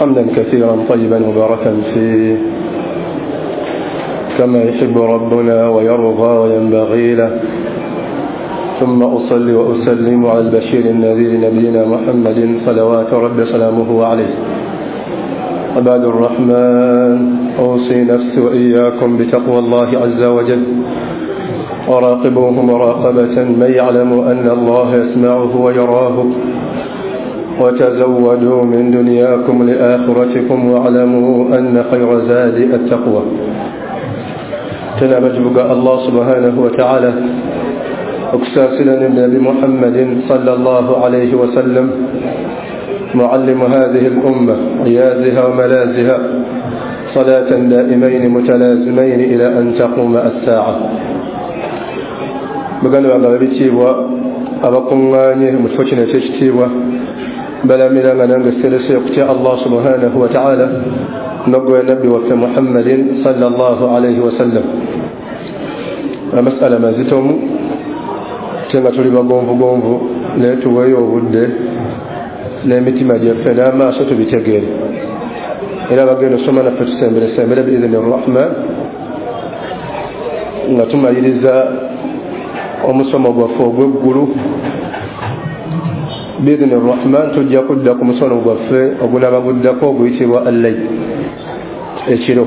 حمدا كثيرا طيبا مباركا فيه كما يحب ربنا ويرضى وينبغي له، ثم أصلي وأسلم على البشير النذير نبينا محمد صلوات رب سلامه عليه. عباد الرحمن، أوصي نفسي وإياكم بتقوى الله عز وجل، وراقبوه مراقبة من يعلم أن الله يسمعه ويراه، وتزودوا من دنياكم لآخرتكم، واعلموا أن خير زاد التقوى. تنبجبك الله سبحانه وتعالى okusaasira ne Muhammadin sallallahu alayhi wa sallam معلم هذه الأمة عيازها وملاذها صلاة دائمين متلازمين إلى أن تقوم الساعة. Baganda bange ab'ebitiibwa abakuŋŋaanye mu kifo kino eky'ekitiibwa, balamiranga nange serese okutya Allah subhanahu wa ta'ala n'oggwe nabbi waffe Muhammadin sallallahu alayhi wa sallam. Amasala mazitomu ate nga tuli bagonvugonvu, naye tuweeyo obudde n'emitima gyaffe n'amaaso tubitegeere. Era bagenda osoma naffe tusemberesembere biidhini rrahman, nga tumaliriza omusomo gwaffe ogw'eggulu biidhini rrahman. Tujja kudda ku musono gwaffe ogunaaba guddako oguyitibwa allayl, ekiro.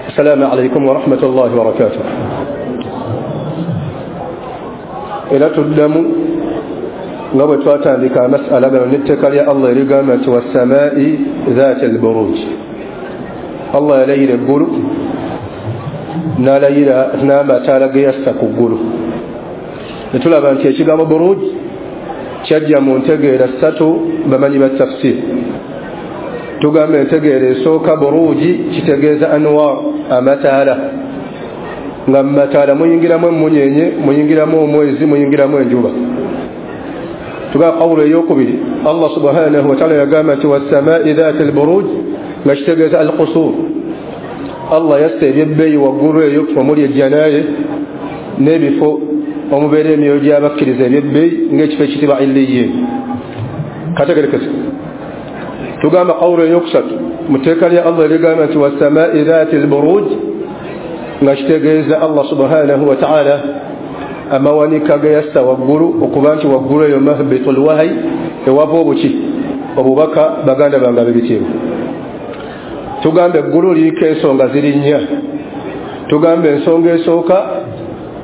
Assalaamu alaikum warahmatullahi wabarakatuh. Era tuddamu nga bwe twatandika amasala gano n'etteeka lya Allah erigamba nti wassamaa'i zaati alburuj. Allah yalayira eggulu n'alayira n'amataala ge yassa ku ggulu. Ne tulaba nti ekigambo buruj kyajja mu ntegeera ssatu bamanyi ba tafsir. Tugamba entegeera esooka, buruji kitegeeza anwar, amataala, nga mu mataala muyingiramu emunyenye, muyingiramu omwezi, muyingiramu enjuba. Tugamba qawlu eyokubiri, Allah subhanahu wa ta'ala yagamba nti wassamaa'i dhaati alburuj, nga kitegeeza alqusur. Allah yassa ebyebbeeyi waggulu eyo omuli ejjanaye n'ebifo omubeera emyoyo gy'abakkiriza ebyebbeeyi ng'ekifo ekitibwa Illiyin. Kategerekese. Tugamba qawlu eyokusatu mu tteeka lya Allah erigamba nti wassamaa'i dhaati alburuj, nga kitegeeza Allah subhanahu wa ta'ala amawanika ge yassa waggulu, okuba nti waggulu eyo mahbitul wahayi, ewava obuki obubaka. Baganda bange ab'ebitiibwa, tugamba eggulu liriko ensonga ziri nnya. Tugamba ensonga esooka,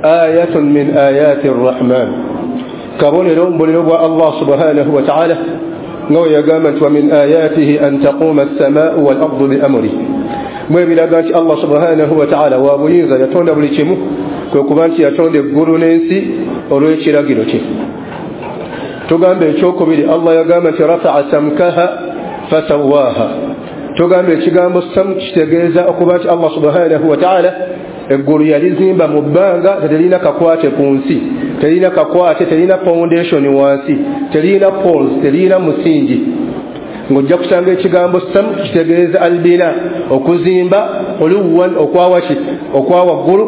ayatun min ayati rrahman, kabonero mbuliro bwa Allah subhanahu wa ta'ala, nga we yagamba nti wa min ayatihi an taquma assamaau wal ardu bi amri. Mwebiraga nti Allah subhanahu wa ta'ala wa buyinza, yatonda buli kimu, kwe kuba nti yatonda eggulu n'ensi olw'ekiragiro kye. Tugamba ekyokubiri, Allah yagamba nti rafa'a samkaha fasawaha. Tugamba ekigambo sam kitegeeza okuba nti Allah subhanahu wa ta'ala eggulu yalizimba mu bbanga, terina kakwate ku nsi, terina kakwate, terina foundation wansi, terina poles, terina musingi. Ng'ojja kusanga ekigambo sam kitegeeza albina, okuzimba, oluwan, okwawaki, okwawaggulu,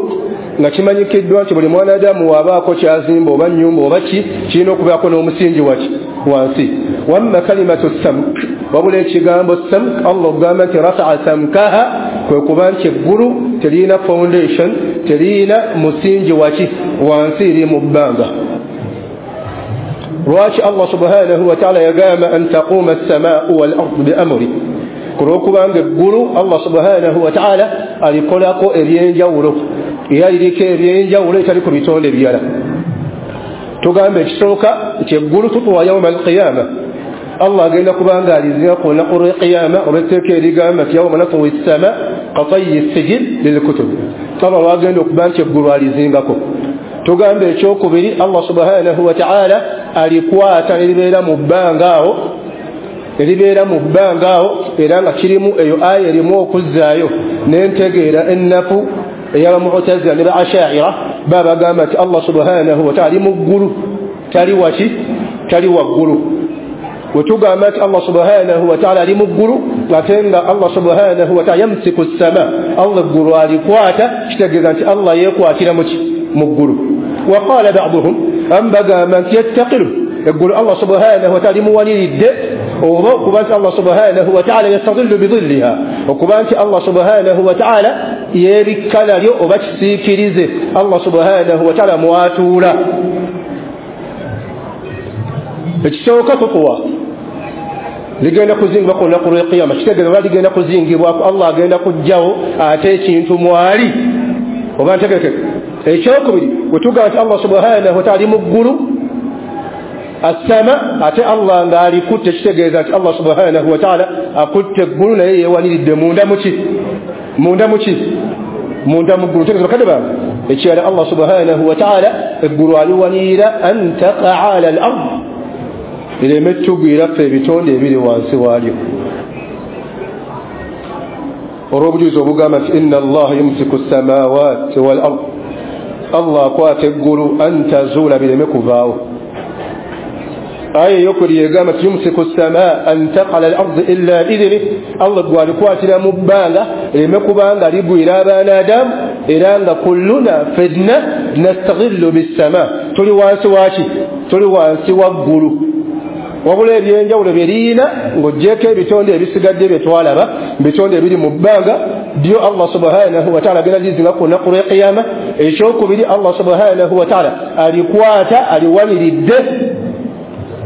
nga kimanyikiddwa nti buli mwanadamu wabaako kyazimba oba nnyumba oba ki, kirina okubaako n'omusingi waki wansi. Wamma kalimatu samk, wabula ekigambo samk, Allah ogamba nti rafa'a samkaha, kwe kuba nti eggulu terina foundation, terina musingi waki wansi, eri mu bbanga. Lwaki Allah subhanahu wa ta'ala yagamba an taquma as-samaa'u wal ardu bi amri? Kulwokubanga eggulu Allah subhanahu wa ta'ala alikolako ebyenjawulo, era liriko ebyenjawulo etali ku bitonde ebirala. Tugamba ekisooka nti eggulu tutuwa yawma alqiyama, Allah agenda kubanga alizinga ku lunaku lw'eqiyama, olw'etteeka erigamba nti yawma natwi ssama katayyi sijil lilkutub. Allah lwagenda okuba nti eggulu alizingako. Tugamba ekyokubiri, Allah subhanahu wa ta'ala alikwata neribeera mu bbanga awo, eribeera mu bbanga awo, era nga kirimu eyo aya erimu okuzzaayo n'entegeera ennafu ey'abamu'tazila ne ba ashaira. Babagamba nti Allah subhanahu wa ta'ala ali mu ggulu, tali waki, tali waggulu. Wetugamba nti Allah subhanahu wa ta'ala ali mu ggulu, ate nga Allah subhanahu wa ta'ala yamsiku ssama, Allah eggulu alikwata, kitegeeza nti Allah yeekwatira muki mu ggulu. Waqala ba'duhum, am bagamba nti yattaqilu, eggulu Allah subhanahu wa ta'ala limuwaniridde Oba okuba nti Allah subhanahu wataala yastadillu bidhilliha, okuba nti Allah subhanahu wataala yeebikka nalyo oba kisiikirize Allah subhanahu wataala mwatuula. Ekisooka tukuwa ligenda kuzingibwa ku lunaku lw'ekiyama, kitegeeza oba ligenda kuzingibwako Allah agenda kujjawo ate ekintu mwali oba ntegerekeka. Ekyokubiri wetugamba nti Allah subhanahu wataala ali mu ggulu assama, ate Allah ng'alikutte, kitegeeza nti Allah subhanahu wataala akutte eggulu naye yeewaniridde munda muki, munda muki, munda mu ggulu. Ntegeeza bakadde bange, ekirala Allah subhanahu wataala eggulu aliwanirira an taqaa ala al ard, lireme tugwira ffe ebitonde ebiri wansi waalyo, olw'obujulizi obugamba nti inna allaha yumsiku samawati wal ard, Allah akwata eggulu an tazuula, bireme kuvaawo. Aya eyokubiri egamba nti yumsiku samaa an taqala al ardi illa biidhnih, Allah gwalikwatira mu bbanga lireme kubanga ligwira abaana Adamu, era nga kulluna fenna nastaghillu bissama, tuli wansi waki? Tuli wansi wa ggulu. Wabula ebyenjawulo byeriyina ng'oggyeko ebitonde ebisigadde bye twalaba, bitonde ebiri mu bbanga byo Allah subhanahu wataala agenda lizinga ku lunaku lw'ekiyama. Ekyokubiri Allah subhanahu wataala alikwata aliwaniridde,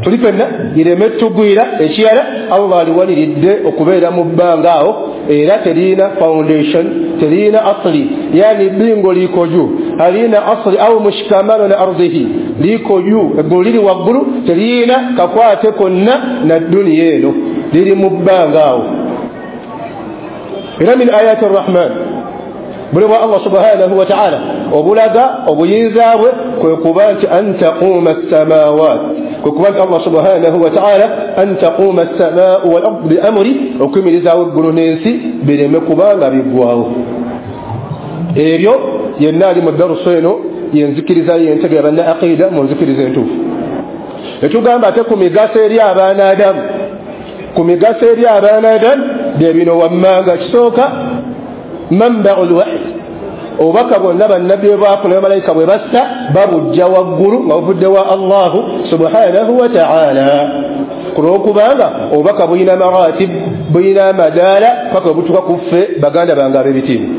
tuli fenna lireme tugwira. Ekirala Allah aliwaniridde okubeera mu bbanga awo, era terina foundation, terina asli, yani bingo liko juu, halina asli au mushikamano na ardhihi, liko juu, eggulu liri waggulu, terina kakwate konna na duniya eno, liri mu bbanga awo. Era min ayati rrahman, buli bwa Allah subhanahu wataala obulaga obuyinza bwe kwe kuba nti an taquuma assamawat, kwe kuba nti Allah subhanahu wataala an taquuma assamau wal ardu bi amri, okuyimirizaawo eggulu n'ensi bireme kubanga biggwawo. Ebyo yenna ali mu darusu eno yenzikiriza yentegera banna aqida mu nzikiriza entuufu. Etugamba ate ku migaso eri abaana Adamu, ku migaso eri abaana Adamu bye bino wammanga. Kisooka manbau lwahi, obubaka bwonna bannabbi bwe baafuna bamalayika bwe bassa babujja waggulu nga buvudde wa Allahu subhanahu wataala, ku lw'okubanga obubaka bulina maratib, bulina amadaala paka bwe butuuka ku ffe baganda bange ab'ebitiibwa.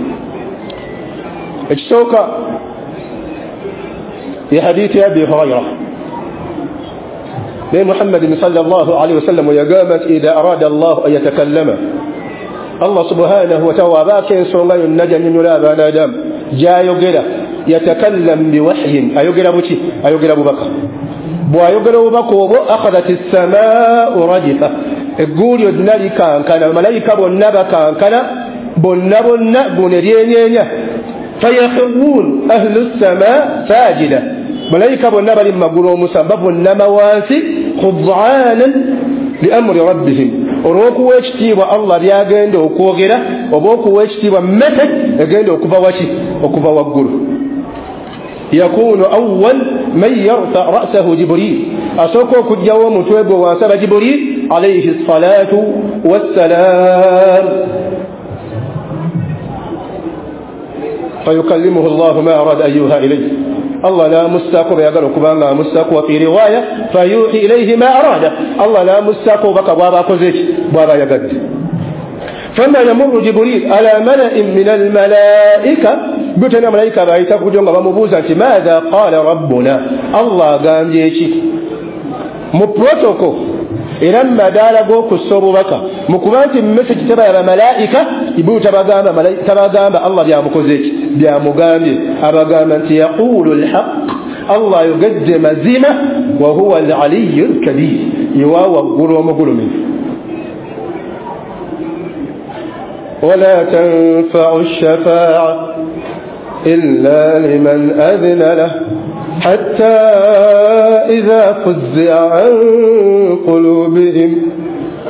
Ekisooka ye hadithi ya Abi Hurayra, naye Muhammadin sallallahu alaihi wasallam yagamba nti idha arada Allahu an yatakallama, Allah subhanahu wataala abaako ensonga yonna gy'annyonnyola abaana Adamu gy'ayogera, yatakallam biwahyin, ayogera buki? Ayogera bubaka. Bw'ayogera obubaka obwo akhadhat essamaau rajifa, eggulu lyonna likankana, bamalayika bonna bakankana, bonna bonna guno eryenyeenya. Fayakhirun ahlu ssamaa sajida, malayika bonna bali mu magulu omusanvu bavunnama wansi khudaanan liamri rabbihim, olw'okuwa ekitiibwa Allah byagenda okwogera oba okuwa ekitiibwa message egenda okuva waki? Okuva waggulu. Yakunu awwal man yarfa ra'sahu Jibril, asooka okugjawo omutwe gwe wansi aba Jibril alayhi salatu wassalam, fayukallimuhu Allahu ma arada an yuha ilayhi, Allah n'amussaako bwe okubanga amussaako. Wa fi riwaya fayuhi ilayhi ma arada, Allah n'amussaako obubaka bw'aba akoze ki? Bw'aba ayagadde. Fama yamurru Jibril ala mala'in min almalaika, butena malayika bayita kujo nga bamubuuza nti maadha qala rabbuna, Allah agambye ki? Mu protocol era mu madaala g'okussa obubaka, mu kuba nti message teba ya bamalayika, Jibril tabagamba Allah byamukoze ki? Byamugambye. Abagamba nti yaqulu alhaq, Allah ayogedde mazima, wa huwa alaliyu alkabir, yewa waggulu omugulumivu. Wala tanfau shafaa illa liman adhina lah حتى إذا فزع عن قلوبهم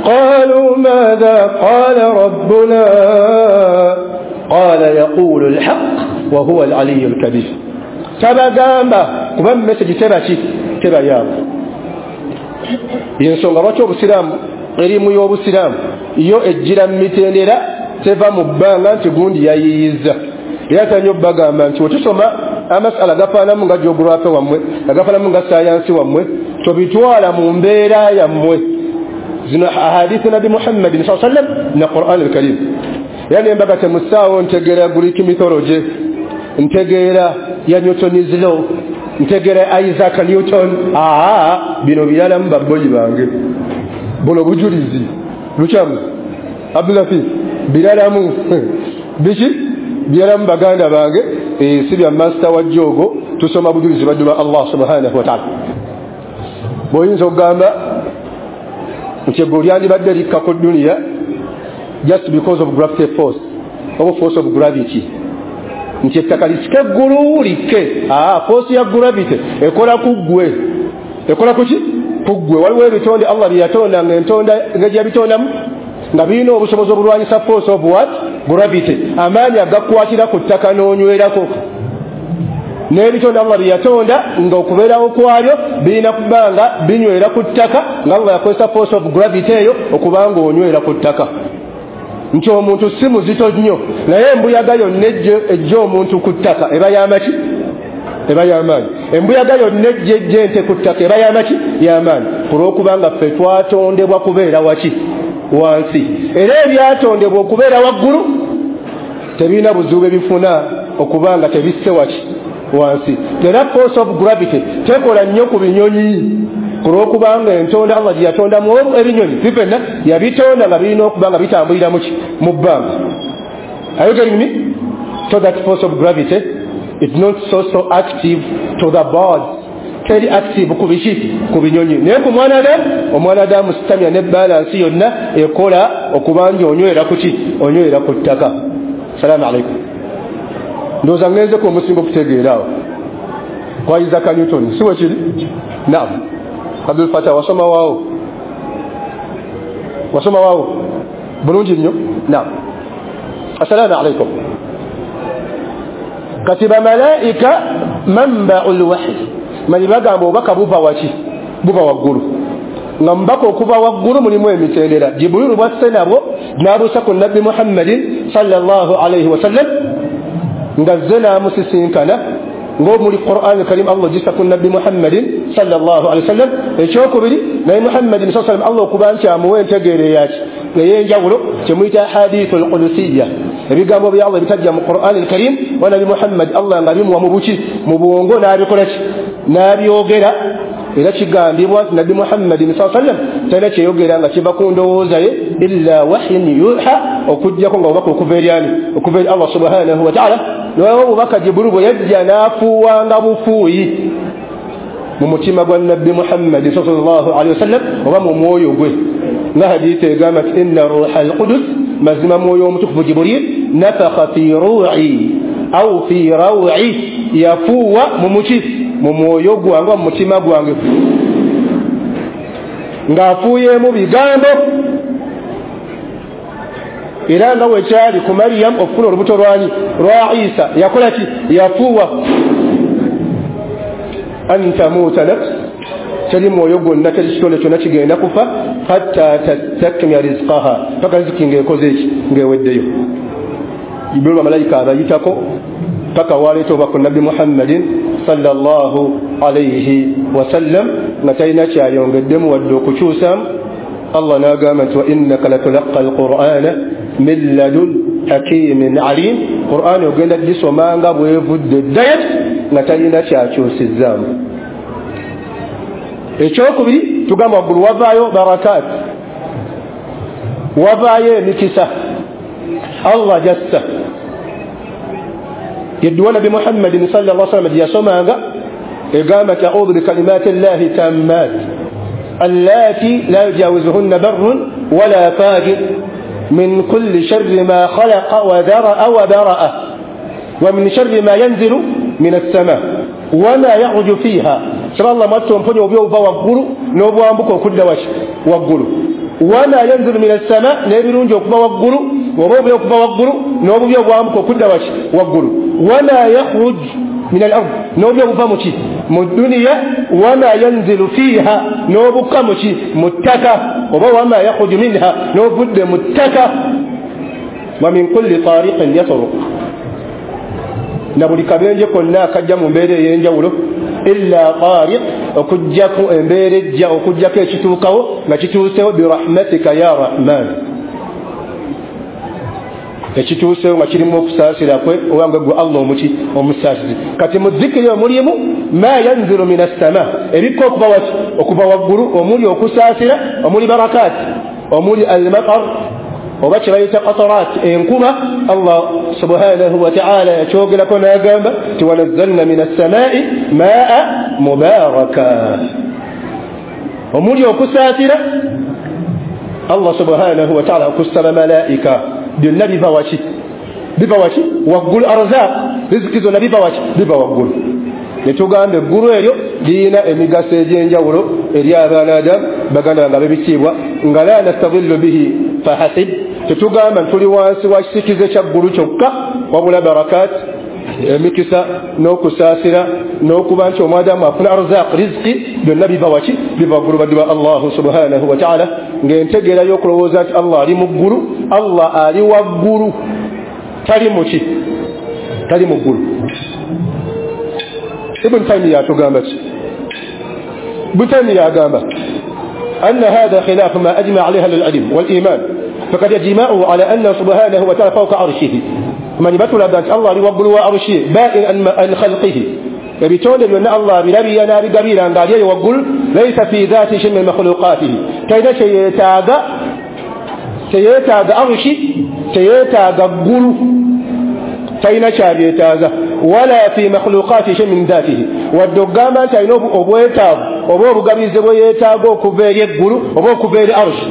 قالوا ماذا قال ربنا قال يقول الحق وهو العلي الكبير. Tabagamba kuba message teba ki? Teba yaabwe. Yensonga lwaki obusiraamu erimu y'obusiraamu yo ejjira mu mitendera, teva mu bbanga nti gundi yayiyiza. Era tanyo bagamba nti wetusoma amasala gafaanamu nga geography wammwe, agafaanamu nga sayansi wammwe, tobitwala mu mbeera yammwe. Zino ahadithu Nabi Muhammadin sallallahu alaihi wasallam na Quran al-Karim. Yani embaga temusaawo ntegeera Greek mythology, ntegeera ya Newton's law, ntegeera Isaac Newton. Bino biralamu babboyi bange, buno bujulizi lukyamu Abdulatif biralamu biki biralamu baganda bange. Si bya master wa jogo, tusoma bujulizi baddu ba Allah subhanahu wa ta'ala. Bw'oyinza okugamba nti eggulu lyandibadde likka ku duniya just because of gravity force oba force of gravity, nti ettaka lisike eggulu likke. Force ya gravity ekola ku ggwe, ekola ku ki? Ku ggwe. Waliwo ebitonde Allah bye yatonda nga entonda engeri yabitondamu nga birina obusobozi obulwanyisa force of what? Gravity, amaanyi agakukwatira ku ttaka n'onywerako. N'ebitonde Allah bye yatonda nga okubeerawo kwabyo birina kuba nga binywera ku ttaka, nga Allah yakozesa force of gravity eyo okuba nga onywera ku ttaka. Nti omuntu si muzito nnyo, naye embuyaga yonna ejja omuntu ku ttaka eba y'amaki? Eba y'amaanyi. Embuyaga yonna ejja ente ku ttaka eba y'amaki? Y'amaanyi. Ku lw'okubanga ffe twatondebwa kubeera waki? Wansi. Era ebyatondebwa okubeera waggulu tebirina buzibu bwe bifuna okubanga tebisse waki? Wansi. Era force of gravity tekola nnyo ku binyonyi, ku lw'okubanga entonda Allah gye yatondamu ebinyonyi bifenna yabitonda nga birina okuba nga bitambulira muki? Mu bbanga. Are you getting me? So that force of gravity is not so active to the birds, teri active ku biki? Ku binyonyi. Naye ku mwana Adamu, omwana Adamu sitamya ne balance yonna ekola okuba nga onywera ku ki? Onywera ku ttaka. Salamu alaikum. Ndowooza ngenzeko omusingo okutegeera awo kwa Isaac Newton, si bwe kiri? Naam. Abdul Fatah, wasoma waawo? Wasoma waawo bulungi nnyo. Naam. Assalamu alaikum. Kati bamalaika manba'ul wahyi, manyi bagamba obubaka buva waki? Buva waggulu. Nga mubaka okuva waggulu mulimu emitendera. Jibrilu bwasse nabwo n'abuusa ku Nabbi Muhammadin sallallahu alaihi wasallam, nga zze n'amusisinkana ng'omuli Qur'an Karim Allah gisa ku Nabbi Muhammadin sallallahu alaihi wasallam. Ekyokubiri, naye Muhammadin sallallahu alaihi wasallam Allah okuba nti amuwa entegeera eyaki? Ey'enjawulo, kyemuyita hadithul qudusiyya, ebigambo bya Allah ebitajja mu Qur'an Karim wa Nabbi Muhammad Allah nga bimuwa mu buki? Mu bwongo, n'abikola ki? N'abyogera. Era kigambibwa nti Nabbi Muhammadin sallallahu alaihi wasallam talina kyeyogera nga kiva ku ndowooza ye illa wahyin yuha, okuggyako nga obubaka okuva eri ani? Okuva eri Allah subhanahu wa ta'ala. Naye obubaka Jibrilu bwe yajja n'afuuwanga bufuuyi mu mutima gwa Nabbi Muhammad sallallahu alaihi wasallam oba mu mwoyo gwe, nga hadithi egamba nti inna ruha al-qudus, mazima mwoyo omutukuvu Jibril, nafakha fi ru'i au fi raw'i, yafuuwa mu muki? Mu mwoyo gwange, mu mutima gwange, ng'afuuyeemu bigambo. Era nga wekyali ku Mariam okufuna olubuto lwani? Lwa Isa, yakola ki? Yafuuwa. An tamuuta nafs, teri mwoyo gwonna, teri kitonde kyonna kigenda kufa hatta tastakmila rizqaha, paka riziki ng'ekoze eki? Ng'eweddeyo. Jibrilu bamalayika abayitako paka waleeta obubaka ku Nabbi Muhammadin sallallahu alaihi wasallam nga talina kyayongeddemu wadde okukyusaamu. Allah n'agamba nti wa innaka latulaqqa alqur'ana min ladun hakimin alim, Qur'ani ogenda gisoma nga bwevudde ddaya nga talina kyakyusizzaamu. Ekyokubiri, tugamba waggulu wavaayo barakat, wavaayo emikisa Allah gyassa. Yedduwa Nabbi Muhammadin sallallahu alaihi wasallam gye yasomanga egamba nti a'udhu bikalimati llahi tammat allati la yujawizuhunna barrun wala fajir min kulli sharri ma khalaqa wa dhara'a wa bara'a wa min sharri ma yanzilu min as-sama wa ma yaghju fiha. Saba Allah mwattu omponye obubi obuva waggulu n'obwambuka okudda waki? Waggulu. Wa ma yanzilu min as-sama, n'ebirungi okuva waggulu oba obubi okuva waggulu n'obubi obwambuka okudda waki? Waggulu. Wa ma yakhruj min al-ard, n'obubi obuva mu ki? Mu duniya. Wa ma yanzilu fiha, n'obukka mu ki? Mu ttaka. Oba wa ma yakhruju minha, n'obudde mu ttaka. Wa min kulli tariqin yatruq, na buli kabenje konna akajja mu mbeera ey'enjawulo, illa tariq, Okujjako embeera ejja, okujjako ekituukawo nga kituusewo birahmatika ya rahman, ekituusewo nga kirimu okusaasira kwe obanga gwe Allah omuki omusaasizi. Kati mu zikiri omulimu ma yanzilu min assama, ebikka okuva waki? Okuva waggulu, omuli okusaasira, omuli barakaati, omuli almatar oba kye bayita qatarat, enkuba. Allah subhanahu wa ta'ala yakyogerako n'agamba nti wanazzalna min assamai maa mubaraka, omuli okusaasira. Allah subhanahu wa ta'ala okussa bamalaika, byonna biva waki? Biva waki? Waggulu. Arzaq, riziki zonna biva waki? Biva waggulu. Netugamba eggulu eryo lirina emigaso egy'enjawulo eri abaana Adamu, baganda bange ab'ebitiibwa, nga la nastadillu bihi fahasib, tetugamba tuli wansi wa kisikize kya ggulu kyokka, wabula barakat, emikisa n'okusaasira n'okuba nti omwadamu afuna arzaq, riziki, byonna biva waki? Biva waggulu. Baddu ba Allahu subhanahu wa ta'ala, ng'entegeera y'okulowooza nti Allah ali mu ggulu, Allah ali waggulu, tali muki? Tali mu ggulu. Ibn Taymiyyah atugamba ki? Ibn Taymiyyah agamba أن هذا خلاف ما أجمع عليه أهل العلم والإيمان، فقد أجمعوا على أن سبحانه وتعالى فوق عرشه. من يبتل أن الله يوقل عرشه بائن عن خلقه، ebitonde byonna Allah birabira n'abigabira ng'ali eyo waggulu, laysa fi dhati shay'in min makhluqatihi, talina kyeyeetaaga, teyeetaaga arushi, teyeetaaga ggulu, talina kyabyetaaga, wala fi makhluqatihi shay'in min dhatihi, wadde okugamba nti alina obwetaavu oba obugabizi bwe yeetaaga okuva eri eggulu oba okuva eri arushi.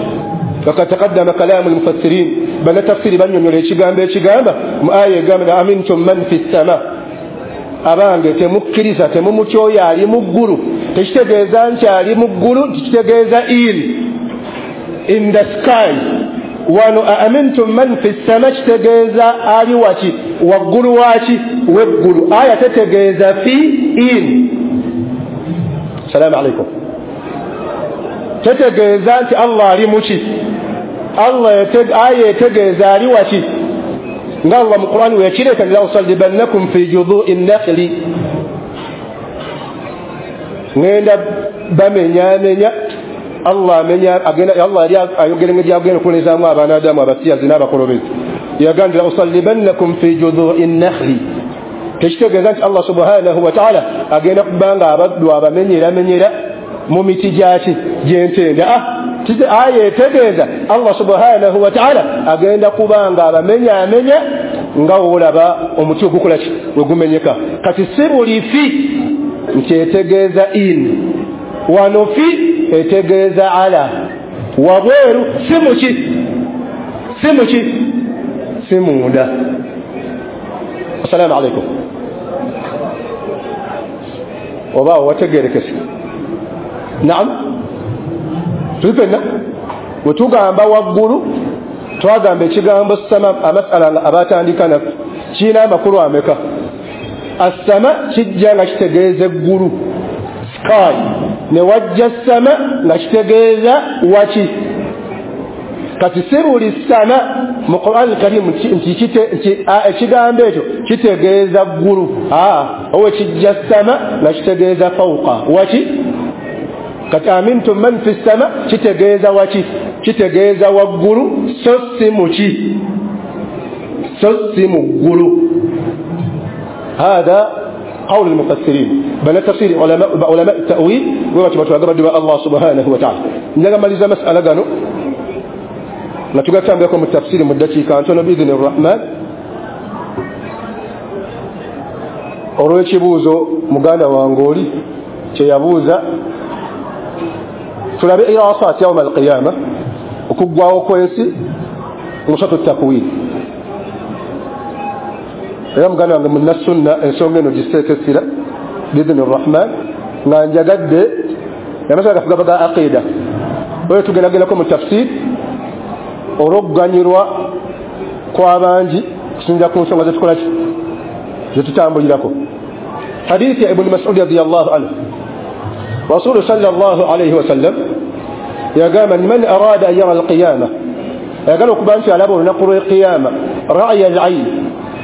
Fakad taqaddama kalaamu lmufassirin, bannatafsiri bannyonnyola ekigambo ekigamba mu aya egamba amintum man fi ssama, abange temukkiriza, temumutya oyo ali mu ggulu. Tekitegeeza nti ali mu ggulu, kitegeeza in the sky. Wano amintum man fi ssama kitegeeza ali waki? Waggulu waki? Weggulu. Aya tetegeeza fi in. Salaamu alaikum. Tetegeeza nti Allah ali muki? Allah aya etegeeza ali waki? Nga Allah mu Qur'ani weyakireeta la usallibannakum fi judhu'i nnakhli, ngenda bamenyamenya. Allah amenya agenda, Allah yali ayogera engeri gy'agenda okuwulizaamu abaana Adamu abasiyazi n'abakolobezi. Yagamba la usallibannakum fi judhu'i nnakhli, tekitegeeza nti Allah subhanahu wa ta'ala agenda kubanga abaddu abamenyeramenyera mu miti gyaki? Gy'entende. Aya etegeeza Allah subhanahu wa ta'ala agenda kubanga abamenyamenya nga olaba omuti ogukola ki? We gumenyeka. Kati si buli fi nti etegeeza in, wano fi etegeeza ala, wabweru, si muki? Si muki? Si munda. Assalaamu alaikum. Oba wategerekese? Naam, tuli ffenna bwe tugamba waggulu twagamba ekigambo sama, amasala abatandika naffe kirina amakulu ameka? Assama kijja nga kitegeeza eggulu, sky, ne wajja sama nga kitegeeza waki? Kati si buli sama mu Qur'an Karim nti ekigambo ekyo kitegeeza ggulu, owe kijja sama nga kitegeeza fawqa waki? Kati amintum man fi ssama kitegeeza waki? Kitegeeza waggulu, so si muki? So si mu ggulu. Hada قول المفسرين بل تفسير علماء التأويل وما الله سبحانه وتعالى. نجا مسألة قالوا نتوقع لكم التفسير مدتي كانتون بإذن الرحمن. Olw'ekibuuzo muganda wange oli kyeyabuuza, tulabe irasat yauma alqiyama, okuggwawo kw'ensi musatu takwin. Era muganda wange munnasunna ensonga eno giseeko essira biidhini rrahman, nga njagadde amasala gaffe gava ga aqida, oyo tugendagendako mu tafsir olw'okuganyulwa kw'abangi kusinzira ku nsonga zetukolaki zetutambulirako. Hadithi ya Ibn Mas'ud radiyallahu anhu, Rasul sallallahu alayhi wasallam yagamba man arada an yara alqiyama, ayagala okuba nti alaba olunaku lw'eqiyama ra'ya al-ayn,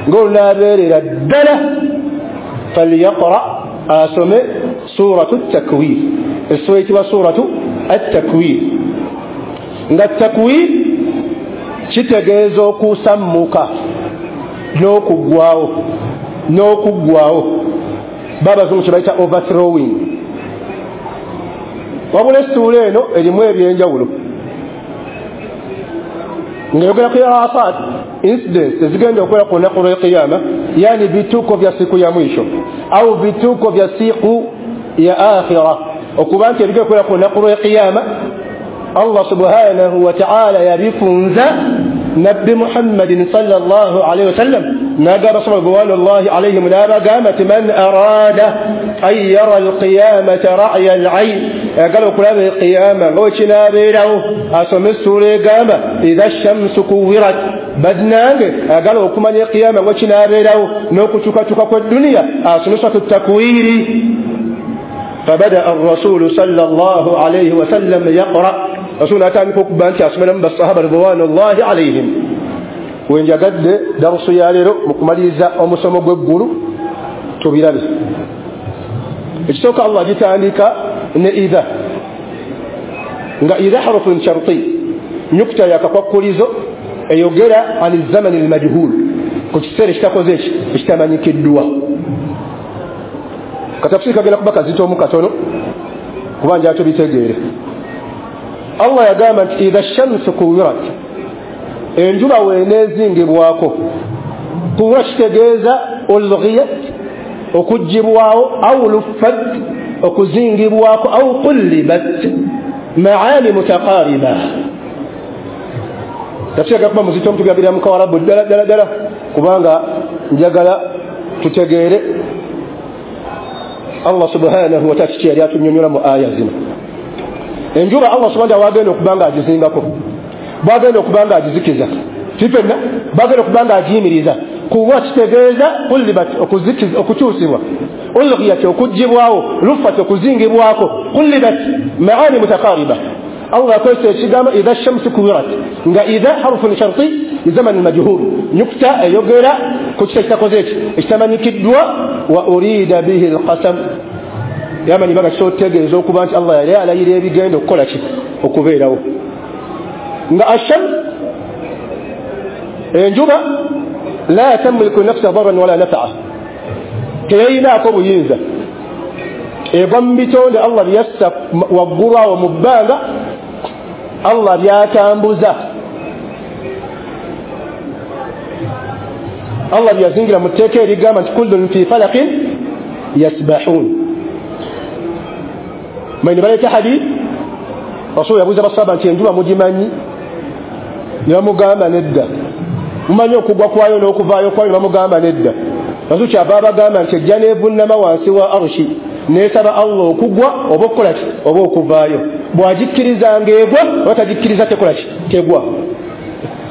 ng'olunaabeerera ddala, falyaqra, asome Suratu Takwir, essuula eyitibwa Suratu At-Takwir. Nga takwir kitegeeza okusammuka n'okuggwawo, n'okuggwawo, babazungu kye bayita overthrowing. Wabula essuula eno erimu ebyenjawulo ng'eyogera ku irasat, incidents ezigenda okubeera ku lunaku lw'ekiyama, yani vituko vya siku ya mwisho au vituko vya siku ya akhira, okuba nti ebigenda okubeera ku lunaku lw'ekiyama Allah subhanahu wa ta'ala yabifunza Nabbi Muhammadin sallallahu alayhi wasallam, n'agamba sallallahu alayhim n'abagamba nti man arada an yara alqiyamata ra'ya al-ayn, ayagala okulaba eqiyama nga bwe kinaabeerawo asome essuula egamba idha shamsu kuwirat. Bannange ayagala okumanya eqiyama nga bwe kinaabeerawo n'okukyukakyuka kw'edduniya asome Suratu Takwiri. Fabadaa arrasulu sallallahu alayhi wasallam yaqra, rasulu atandika okuba nti asomeramu basahaba ridwanullahi alayhim. Wenjagadde darusu ya leero mu kumaliriza omusomo gw'eggulu tubirabe. Ekisooka Allah agitandika ne idha, nga idha harfun sharti, nyukta yakakwakulizo eyogera ani zamani almajhul, ku kiseera ekitakoze eki ekitamanyikiddwa. Katafsiri kagenda kuba kazito mu katono kuba njagala tubitegeere. Allah yagamba nti idha shamsu kuwirat, enjuba weenezingibwako. Kuwira kitegeeza ulghiyat, okuggyibwawo, au luffat, okuzingibwako, au qullibat, maani mutaqariba. Tafsiri kuba muzito mutugabira mu kawarabu ddala ddala ddala, kubanga njagala tutegeere Allah subhanahu wa ta'ala kiki yali atunyonnyola mu aya zino. Enjuba Allah subhanahu wa ta'ala wagenda okuba nga agizingako, bwagenda okuba nga agizikiza, tifenna bagenda okuba nga agiyimiriza. Kuwa kitegeeza kullibat, okuzikiza, okukyusibwa, ulghiyat, okuggyibwawo, luffat, okuzingibwako, kullibat, maani mutaqariba. Allah akozesa ekigambo idha shamsu kuwirat, nga idha harfun sharti lizaman majhul, nyukta eyogera ku kisa ekitakoze eki ekitamanyikiddwa. Wa urida bihi alqasam, yamanyi baga kisotegeeza okuba nti Allah yali alayira ebigenda okukola ki okubeerawo. Nga ashams, enjuba, la tamliku nafsa darran wala nafa'a, teyinaako buyinza, egwa mu bitonde Allah byassa waggulu awo mu bbanga, Allah byatambuza, Allah byazingira mu tteeka erigamba nti kullun fi falaqin yasbahun. Manyi baleeta hadith, Rasul yabuuza basahaba nti enjuba mugimanyi? Ne bamugamba nedda. Mumanyi okugwa kwayo n'okuvaayo kwayo? Ne bamugamba nedda. Rasul kyava abagamba nti ejja n'evunnama wansi wa arushi n'esaba Allah okugwa oba okukola ki oba okuvaayo. Bw'agikkiriza ng'egwa oba tagikkiriza tekola ki tegwa.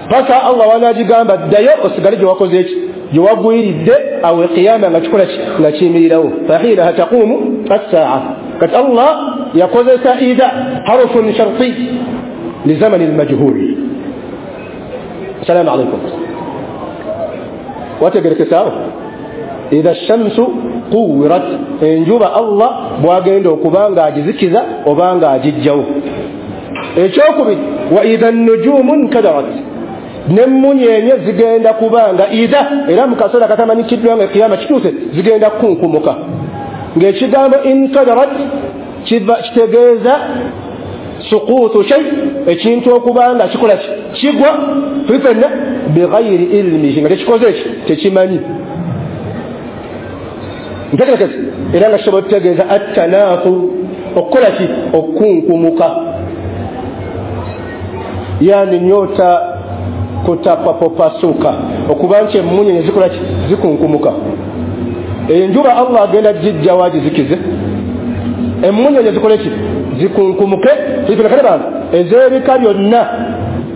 Paka Allah wanaagigamba ddayo osigale gye wakoze eki gye wagwiridde, awo ekiyama nga kikola ki nga kiyimirirawo. Fahinaha taqumu assaa. Kati Allah yakozesa idha harfun sharti lizamani almajhul. Assalamu alaikum. Wategerekesaawo idha shamsu kuwirat, enjuba Allah bwagenda okuba nga agizikiza oba nga agijjawo. Ekyokubiri, wa idha nujumu nkadarat, n'emmunyeenye zigenda kubanga idha, era mu kaseera katamanyikiddwa nga ekiyama kituuse, zigenda kukunkumuka. Ng'ekigambo inkadarat kitegeeza suquutu shay, ekintu okuba nga kikola ki kigwa fifenna bighayri ilmihi, nga tekikoze eki tekimanyi. Ntegerekese era nga kisobola okutegeeza attanaafu, okukola ki okukunkumuka, yani nyota kutapapopasuka, okuba nti emmunyenye zikola ki zikunkumuka. Enjuba Allah agenda gijjawo agizikize, emmunyenye zikole ki zikunkumuke. Kale bantu ez'ebika byonna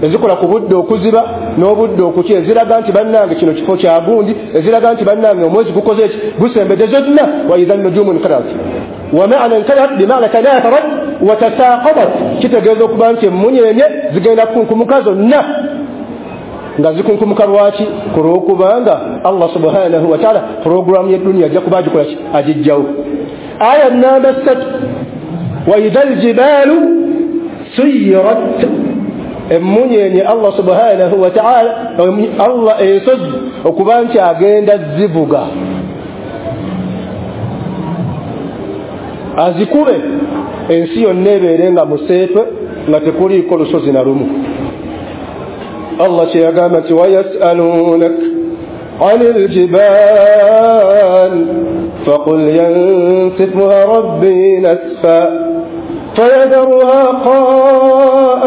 ezikola ku budde okuziba n'obudde okukya, eziraga nti bannange kino kifo kya gundi, eziraga nti bannange omwezi gukoze eki gusembedde, zonna wa idha nujumu nkadarat. Wa maana nkadarat bimaana tanatharat wa tasaqatat, kitegeeza okuba nti emmunyenye zigenda kukunkumuka zonna. Nga zikunkumuka lwaki? Ku lw'okubanga Allah subhanahu wa ta'ala puroguramu y'edduniya ajja kuba agikola ki agijjawo. Aya namba 3, wa idha aljibalu suyirat, emunyenye Allah subhanahu wa ta'ala, Allah ensozi okuba nti agenda zivuga azikube ensi yonna ebeere nga museetwe nga tekuliiko lusozi na lumu. Allah kyeyagamba nti wayasalunak ani ljibal faqul yansifuha rabbi nasfa فيذرها قاء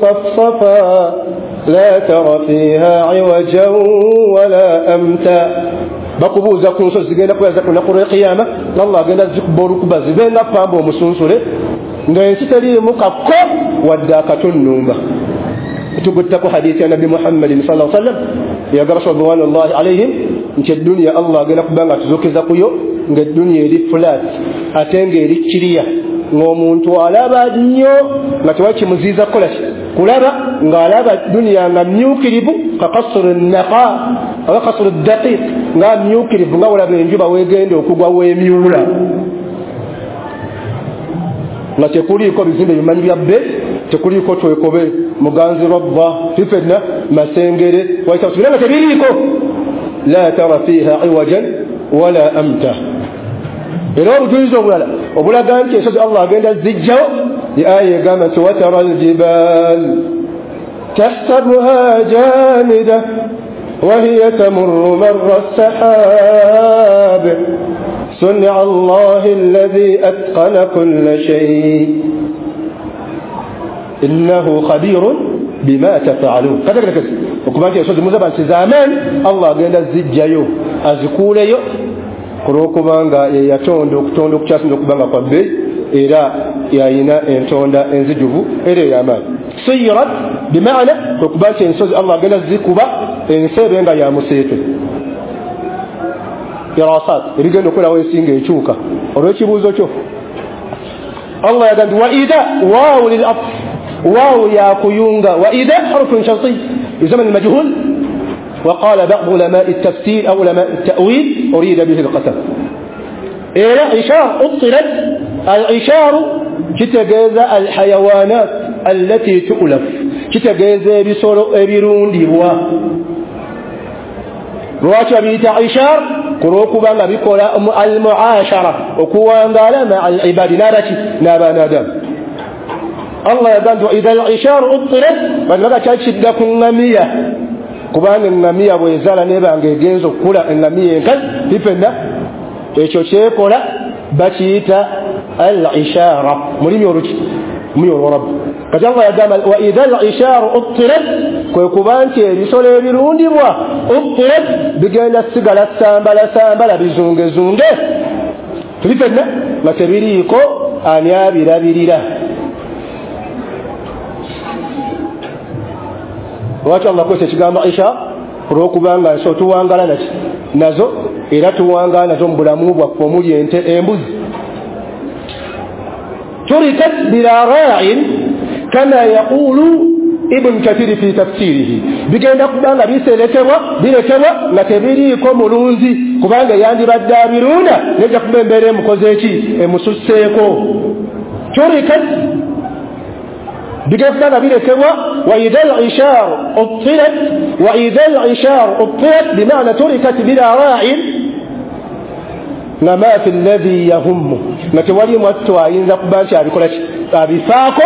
صفصفا لا ترى فيها عوجا ولا أمتا. Bakubuuza ku nsozi zigenda kubeera ku lunaku lw'ekiyama, Allah agenda zikuba olukuba zibe nga pamba omusunsule ng'ensi teriimu kakko wadde akatunnumba. Tuguttako hadithi ya Nabbi Muhammadin sallallahu alaihi wasallam yagamba sallallahu alaihim nti edduniya Allah agenda kuba nga atuzuukiza kuyo ng'edduniya eri flat ate ng'eri kiriya, ng'omuntu alaba nnyo nga tewali kimuziiza kukola ki kulaba, ng'alaba duniya nga myukirivu kakasuru naqa oba kasuru daqiq, nga myukirivu nga olaba enjuba weegenda okugwa weemyula, nga tekuliiko bizimbe bimanyi bya bbe, tekuliiko twekobe muganzi rabba fifenna masengere waita nga tebiriiko. La tara fiha iwajan wala amta. Era obujulizi obulala obulaga nti ensozi Allah agenda zijjawo, aya egamba nti watara aljibal tahsabuha jamida wahiya tamurru marra sahab sun'a Allahi alladhi atqana kulla shay innahu khabirun bima taf'alun. Kategeka okuba nti ensozi muzaba nti z'amaanyi Allah agenda zijjayo azikuuleyo olwokubanga yeyatonda okutonda okukyasinza okuba nga kwa bbeeyi, era yayina entonda enzijuvu era ey'amaanyi. Suyirat bimaana okuba nti ensozi Allah agenda zikuba ensi ebe nga ya museetwe. Irasat ebigenda okubeerawo ensi ng'ekyuka olw'ekibuuzo kyo. Allah yagamba nti wa idha waawu lil atf, waawu yakuyunga, wa idha harfun sharti yusamma al-majhul. وقال بعض علماء التفسير أو علماء التأويل أريد به القسم. إلى عشار أطلت العشار كتجاز الحيوانات التي تؤلف، كتجاز بسولو ebirundibwa. Lwaki babiyita ishar? Kulw'okuba nga bikola al-muashara, okuwangaala maa al-ibadi n'abaki n'abaana. Allah yagamba nti idha al-ishar uttilat, bano kyali kidda ku ŋŋamiya, kubanga eŋŋamiya bw'ezaala n'ebanga egenza okukula eŋŋamiya enkazi ifenna ekyo kyekola bakiyita al-ishara mulimi oluki mulimi olwarabu. Kati Allah yagamba wa idha al-isharu uttilat, kwe kuba nti ebisolo ebirundibwa uttilat bigenda sigala sambala sambala bizungezunge tuli fenna nga tebiriiko ani abirabirira. Lwaki Allah akozesa ekigambo isha? Olwokubanga nso tuwangala naki nazo, era tuwangala nazo mu bulamu bwaffe omuli ente embuzi. Turikat bila ra'in kama yaqulu Ibn Kathir fi tafsirihi, bigenda kubanga biserekebwa birekebwa nga tebiriiko mulunzi, kubanga yandibadde abirunda nejja kuba embeera emukoze eki emususseeko. Turikat bigenda kubanga birekebwa wa idha al-ishar uttilat, wa idha al-ishar uttilat bimaana turikat bila ra'in nga ma fi alladhi yahummu, nga tewali mwattu ayinza kuba nti abikola ki abifaako,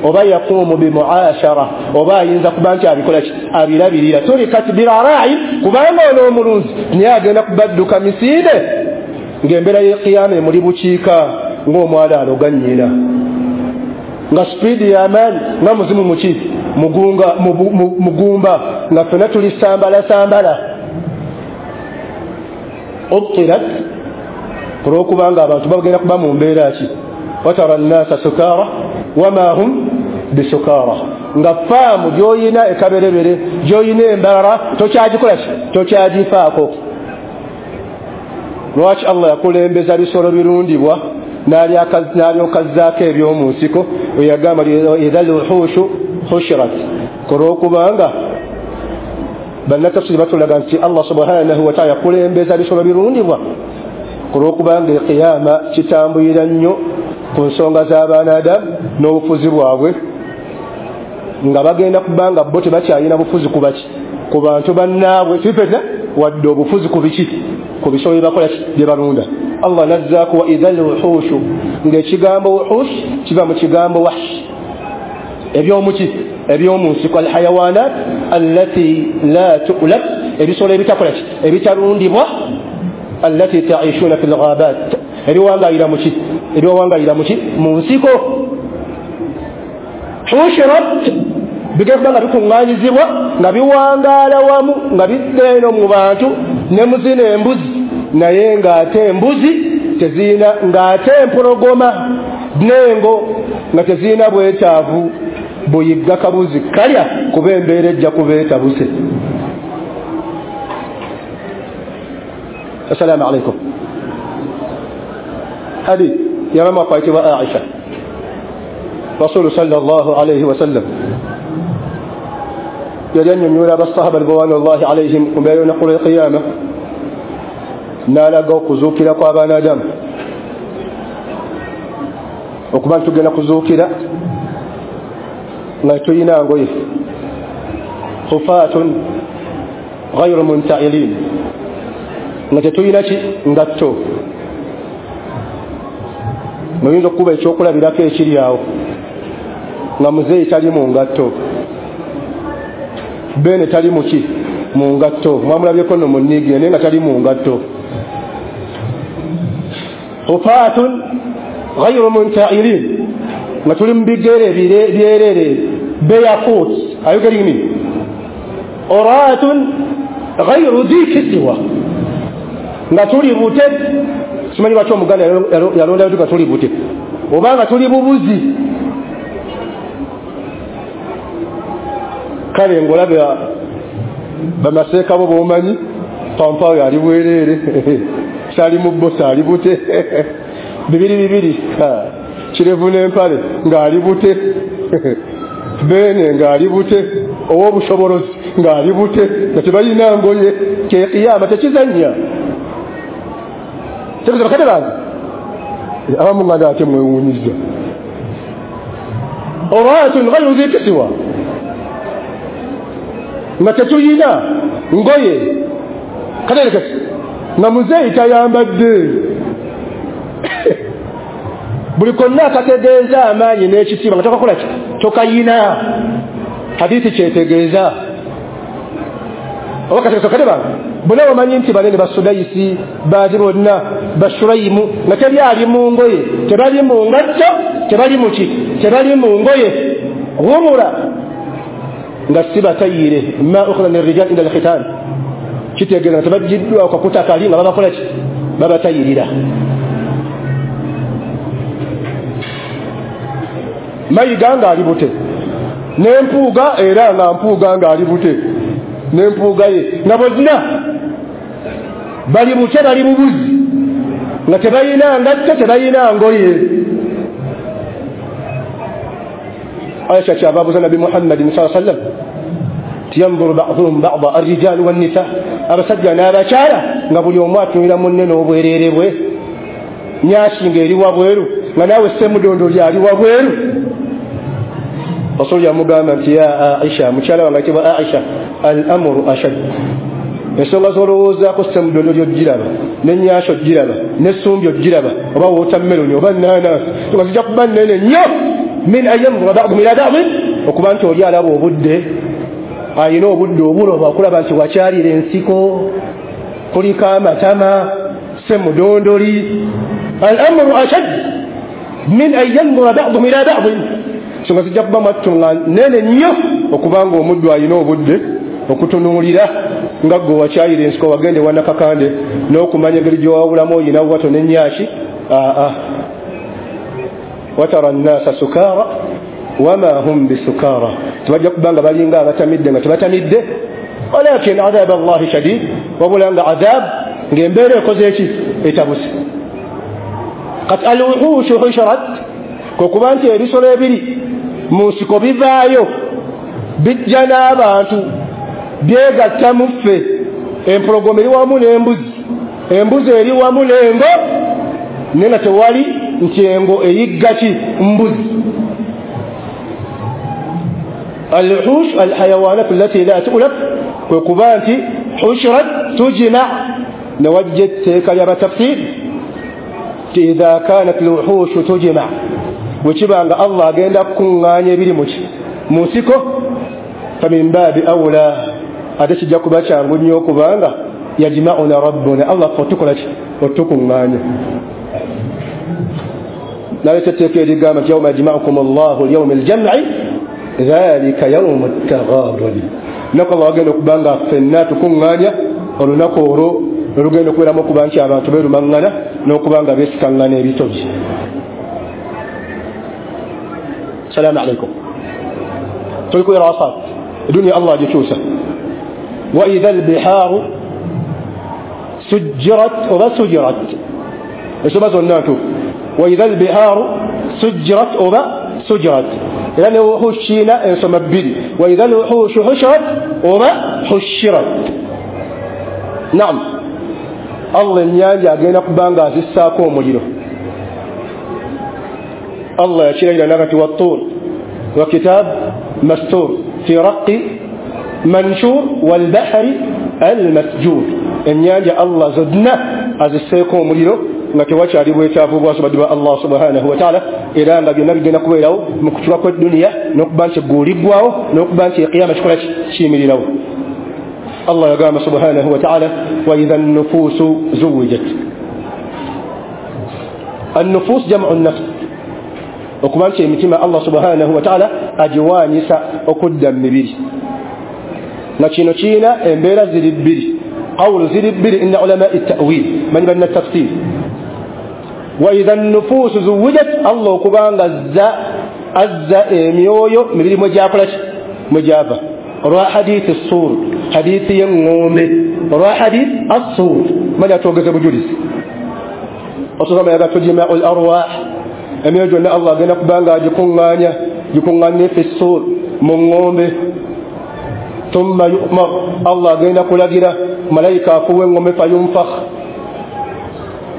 oba yaqumu bimuashara, oba ayinza kuba nti abikola ki abirabirira. Turikat bila ra'in, kubanga ono omulunzi naye agenda kubadduka misinde ng'embeera y'ekiyama emuli bukiika ng'omwala aloga nnyina, nga sipiidi y'amaanyi nga muzimu muki mugunga mugumba, nga ffenna tuli sambala sambala. Uttilat olwokubanga abantu bagenda kuba mu mbeera ki watara nnasa sukara wama hum bisukara, nga faamu gy'oyina ekaberebere gy'oyina embalala tokyagikola ki tokyagifaako. Lwaki Allah yakulembeza bisolo birundibwa n'alyoka azzaako eby'omu nsiko? Weyagamba idha lwuhushu hushirat, olwokubanga bannatafsiri batulaga nti Allah subhanahu wa ta'ala yakulembeza bisolo birundibwa Ku lw'okubanga ekiyama kitambulira nnyo ku nsonga z'abaana Adamu n'obufuzi bwabwe, nga bagenda kubanga bo tebakyalina bufuzi ku baki, ku bantu bannaabwe, sifetna wadde obufuzi ku biki, ku bisolo bye bakola bye balunda. Allah nazzaako wa idha lwuhushu, ng'ekigambo wuhush kiva mu kigambo wahsh, ebyomuki, ebyomunsiko, alhayawanat allati la tu'lab, ebisolo ebitakola ki, ebitalundibwa, allati ta'ishuna fil ghabat, ebiwangalira muki, ebiwangalira muki, mu nsiko. Hushirat bigenda kubanga bikuŋŋaanyizibwa nga biwangaala wamu, nga bidda eno mu bantu ne muzina embuzi, naye ng'ate embuzi tezirina, ng'ate empologoma n'engo nga tezirina bwetaavu buyigga kabuzi kalya, kuba embeera ejja kubeetabuse. Assalaamu alaikum. Hadith yabama kwayitibwa Aisha. Rasulu sallallahu alayhi wasallam yali annyonnyola abasahaba ridwanullahi alaihim ku mbeera y'olunaku lw'ekiyama, n'alaga okuzuukira kw'abaana Adamu, okuba nti tugenda kuzuukira nga tulina ngoye, hufaatun ghayru muntailin, nga tetulina ki, ngatto. Muyinza okukuba ekyokulabirako ekiri awo, nga muzeeyi tali mu ngatto, Bene tali muki, mu ngatto, mwamulabyeko nno mu nniigiya naye nga tali mu ngatto. Hufaatun ghayru muntailin, nga tuli mu bigere byerere, barefoot, are you getting me? Uratun ghayru dhi kisiwa, nga tuli bute. Simanyi lwaki Omuganda yalondayo tuga tuli bute, oba nga tuli bubuzi. Kale ng'olaba bamaseeka bo b'omanyi, pampaawo ali bwereere, sali mu bbosa ali bute, bibiri bibiri, kirevu n'empale ng'ali bute, Bene ng'ali bute, ow'obusobolozi ng'ali bute, nga tebalina ngoye. Kyekiyama tekizannya. Tekizannya bakadde bange, abamu nganda ate mwewuunyizza. Uratun ghayru dhi kisiwa, nga tetuyina ngoye. Katerekesi nga muzeeyi tayambadde, buli konna akategeeza amaanyi n'ekitiibwa nga tokakola ki, tokayina. Hadithi kyetegeeza. Oba katerekesi bakadde bange, bonna bamanyi nti banene basudayisi baati bonna bashurayimu, nga teri ali mu ngoye, tebali mu ngatto, tebali mu ki, tebali mu ngoye. Ghumura, nga si batayire, ma ukhadha min rijal inda alkhitan, kitegeeza nga tebaggiddwa akakuta kali nga babakola ki, babatayirira. Mayiga ng'ali bute, n'empuuga era nga mpuuga ng'ali bute, n'empuuga ye, nga bonna bali bute, bali bubuzi, nga tebalina ngatto, tebalina ngoye. Aisha kyava abuuza Nabbi Muhammadin sallallahu alaihi wasallam, yanzuru ba'dhuhum ba'dha ar-rijal wan-nisa, abasajja n'abakyala nga buli omu atunulira munne n'obwereere bwe, nyashi ng'eri wabweru, nga naawe ssemudondoli ali wabweru. Rasulu yamugamba nti ya Aisha, mukyala wange ayitibwa Aisha, al-amru ashad, ensonga z'olowoozaako ssemudondoli ogiraba, n'ennyasha ogiraba, n'essumbi ogiraba, oba wootammeloni oba nnaanansi, nga zijja kuba nnene nnyo, min an yanzura ba'duhum ila ba'din, okuba nti oli alaba obudde, alina obudde obuloba okulaba nti wakyalira ensiko, kuliko amatama, ssemudondoli. Al-amru ashad min an yanzura ba'duhum ila ba'din, ensonga zijja kuba mwattu nga nnene nnyo, okubanga omuddu alina obudde okutunuulira nga gwe wakyayira ensiko, wagende wanakakande n'okumanya engeri gy'owawulamu oyina wato n'ennyaaki. Aa, watara nnasa sukaara wama hum bisukara, tebajja kuba nga balinga abatamidde nga tebatamidde. Walakin adhab Allahi shadid, wabula nga adhab ng'embeera ekoze eki, etabuse. Kati alwuhushu husharat, kwe kuba nti ebisolo ebiri mu nsiko bivaayo bijja n'abantu, byegatta mu ffe, empologoma eri wamu n'embuzi, Embuzi eri wamu n'engo naye nga tewali nti engo eyigga ki mbuzi. Alwuhush alhayawanat allati la tu'laf, kwe kuba nti hushirat tujma. Newajja etteeka ly'abatafsir nti idha kanat alwuhushu tujma, bwe kiba nga Allah agenda kukuŋŋaanya ebiri mu nsiko, famin baabi awula, ate kijja kuba kyangu nnyo okubanga yajma'una rabbuna, Allah ffe otukola ki? Otukuŋŋaanya. Naleeta etteeka erigamba nti yauma yajma'ukum Allahu lyaumi aljam'i dhalika yaumu ttaghabuni. Lunaku Allah agenda okuba nga ffenna tukuŋŋaanya, olunaku olwo olugenda okubeeramu okuba nti abantu beerumaŋŋana n'okuba nga beesikaŋŋana ebitogi. Salaamu alaikum. Tuli ku irasat eduniya Allah agikyusa. Wa idha albihaaru sujjirat oba sujirat, ensoma zonna ntuufu. Wa idha albihaaru sujjirat oba sujirat, era ne wuhush kiina ensoma bbiri. Wa idha alwuhushu hushirat oba hushirat. Naam, Allah ennyanja agenda kuba nga azissaako omuliro. Allah yakirayira nagati wattuur wa kitaab mastur fi raqi manshur walbahari almasjur. Ennyanja Allah zonna azisseeko omuliro nga tewakyali bwetaavu bwasobadde bwa Allah subhanahu wataala, era nga byonna bigenda kubeerawo mu kutuka kw'edduniya n'okuba nti eggulu liggwawo n'okuba nti ekiyama kikola kiyimirirawo. Allah yagamba subhanahu wataala wa idha nnufuusu zuwijat. Annufuus jamu nnafs, okuba nti emitima Allah subhanahu wataala agiwaanyisa okudda mu mibiri. Nga kino kiina embeera ziri bbiri, qawulu ziri bbiri inna ulamai ta'wil, manyi balina tafsir. Wa idha nnufuusu zuwijat, Allah okubanga azza emyoyo mibiri mwe gyakola ki? Mwe gyava. Olwa hadithi suur, hadithi y'eŋŋombe, olwa hadith assuur, manyi atwogeze bujulizi. Ososama yaga tujmau l arwah, emyoyo gyonna Allah agenda kubanga agikuŋŋaanya, gikuŋŋaanye fi suur, mu ŋŋombe. Thumma yu'mar, Allah agenda kulagira malayika afuuwa eŋŋombe, fayunfakh,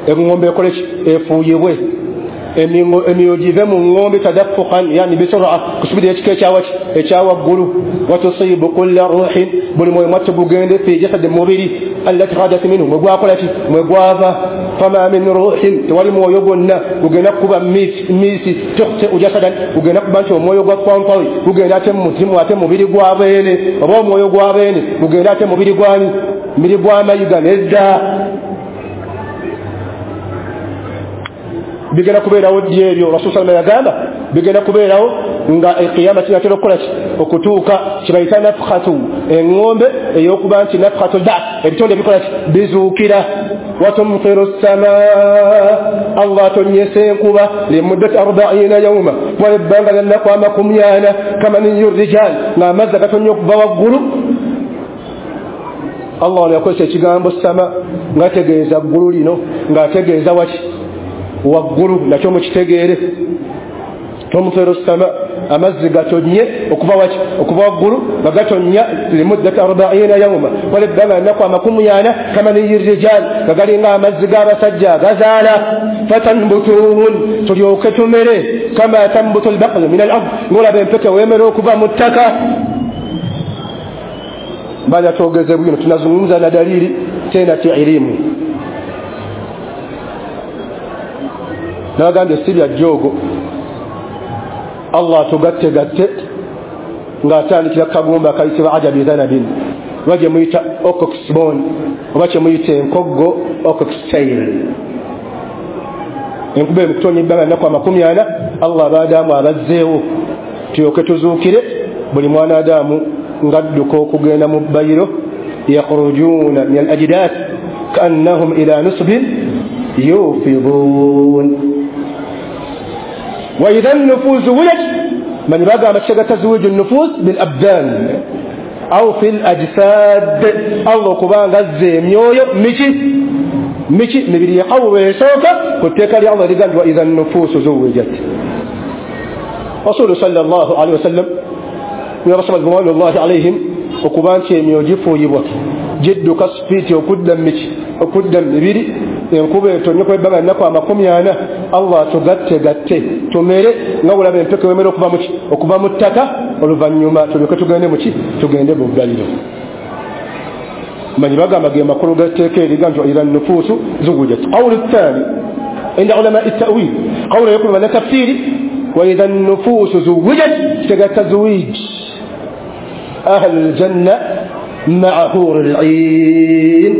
eŋŋombe ekole ki? Efuuyibwe. Emyoyo give mu ŋŋombe tadaffukan, yani bisura, kusubira ekika ekyawaki ekyawaggulu. Watusiibu kulla ruhin, buli mwoyo mwattu gugende fi jasadi, mubiri allati khadat minhu, mwe gwakola ki? Mwe gwava. Fama min ruhin, tewali mwoyo gwonna gugenda kukuba miisi tukhtiu jasadan, gugenda kuba nti omwoyo gwa kwankawi gugenda ate mumuzimu ate mubiri gwa beene, oba omwoyo gwa beene gugenda ate mubiri gwani? Mubiri gwa mayiga. Nedda, bigenda kubeerawo ddi ebyo? Rasul salama yagamba bigenda kubeerawo nga ekiyama kinatera okukola ki? Okutuuka. Kibayita nafkhatu, eŋŋombe ey'okuba nti nafkhatu lbath, ebitonde bikola ki? Bizuukira. Watumtiru ssamaa, Allah atonyesa enkuba limuddati 40 yauma, wala ebbanga lya nnaku 40, kamaniyu rijal, ng'amazzi agatonnya okuva waggulu. Allah ono yakozesa ekigambo sama ng'ategeeza ggulu lino, ng'ategeeza waki? Waggulu, nakyo mukitegeere. Tumtiru ssama, amazzi gatonye okuva waki? Okuva waggulu, nga gatonnya limuddati 40 yauma, wala ebbanga nnaku 40, kamaniyi rijal, nga galinga amazzi g'abasajja agazaala. Fatanbutuun, tulyoke tumere, kama tambutu albaqlu min al ard, ng'olaba empeke weemera okuva mu ttaka. Baada tuogeze bwino, tunazungumza na dalili tena kielimu. Nabagambye si bya jjoogo. Allah tugatte gatte ng'atandikira kagumba akayitibwa ajabi dhanabin, oba gye muyita oxbone, oba kye muyita enkoggo oxtail. Enkuba emukutonya ebbanga nnaku 40, Allah abaadaamu abazzeewo tulyoke tuzuukire buli mwana adamu ng'adduka okugenda mu bbayiro. Yakhrujuuna min al ajdath kaannahum ila nusbin yufidun. Wa idha nnufuusu wujat, manyi bagamba kitega tazwiju nnufus bil abdan au fil ajsad, Allah okubanga azza emyoyo miki miki mibiri yaqawwe esooka ku tteeka lya Allah ligamba wa idha nnufuusu zuwijat. Rasulu sallallahu alaihi wasallam ridwanullahi alaihim, okuba nti emyoyo gifuuyibwa gidduka sipiiti okudda miki Okudda mu mibiri, enkuba etonye kw'ebbanga nnaku 40, Allah tugatte gatte tumere nga bulaba empeke wemere okuva muki, okuva mu ttaka, oluvannyuma tulyoke tugende muki, tugende mu bbaliro. Manyi bagamba ge makulu g'etteeka eriga nti idha nufuusu zuwujat. Qawlu thani inda ulama at-ta'wil, qawlu yakulu na tafsiri wa idha nufuusu zuwujat, kitegeeza tazwij ahlul janna ma'a huril 'ain.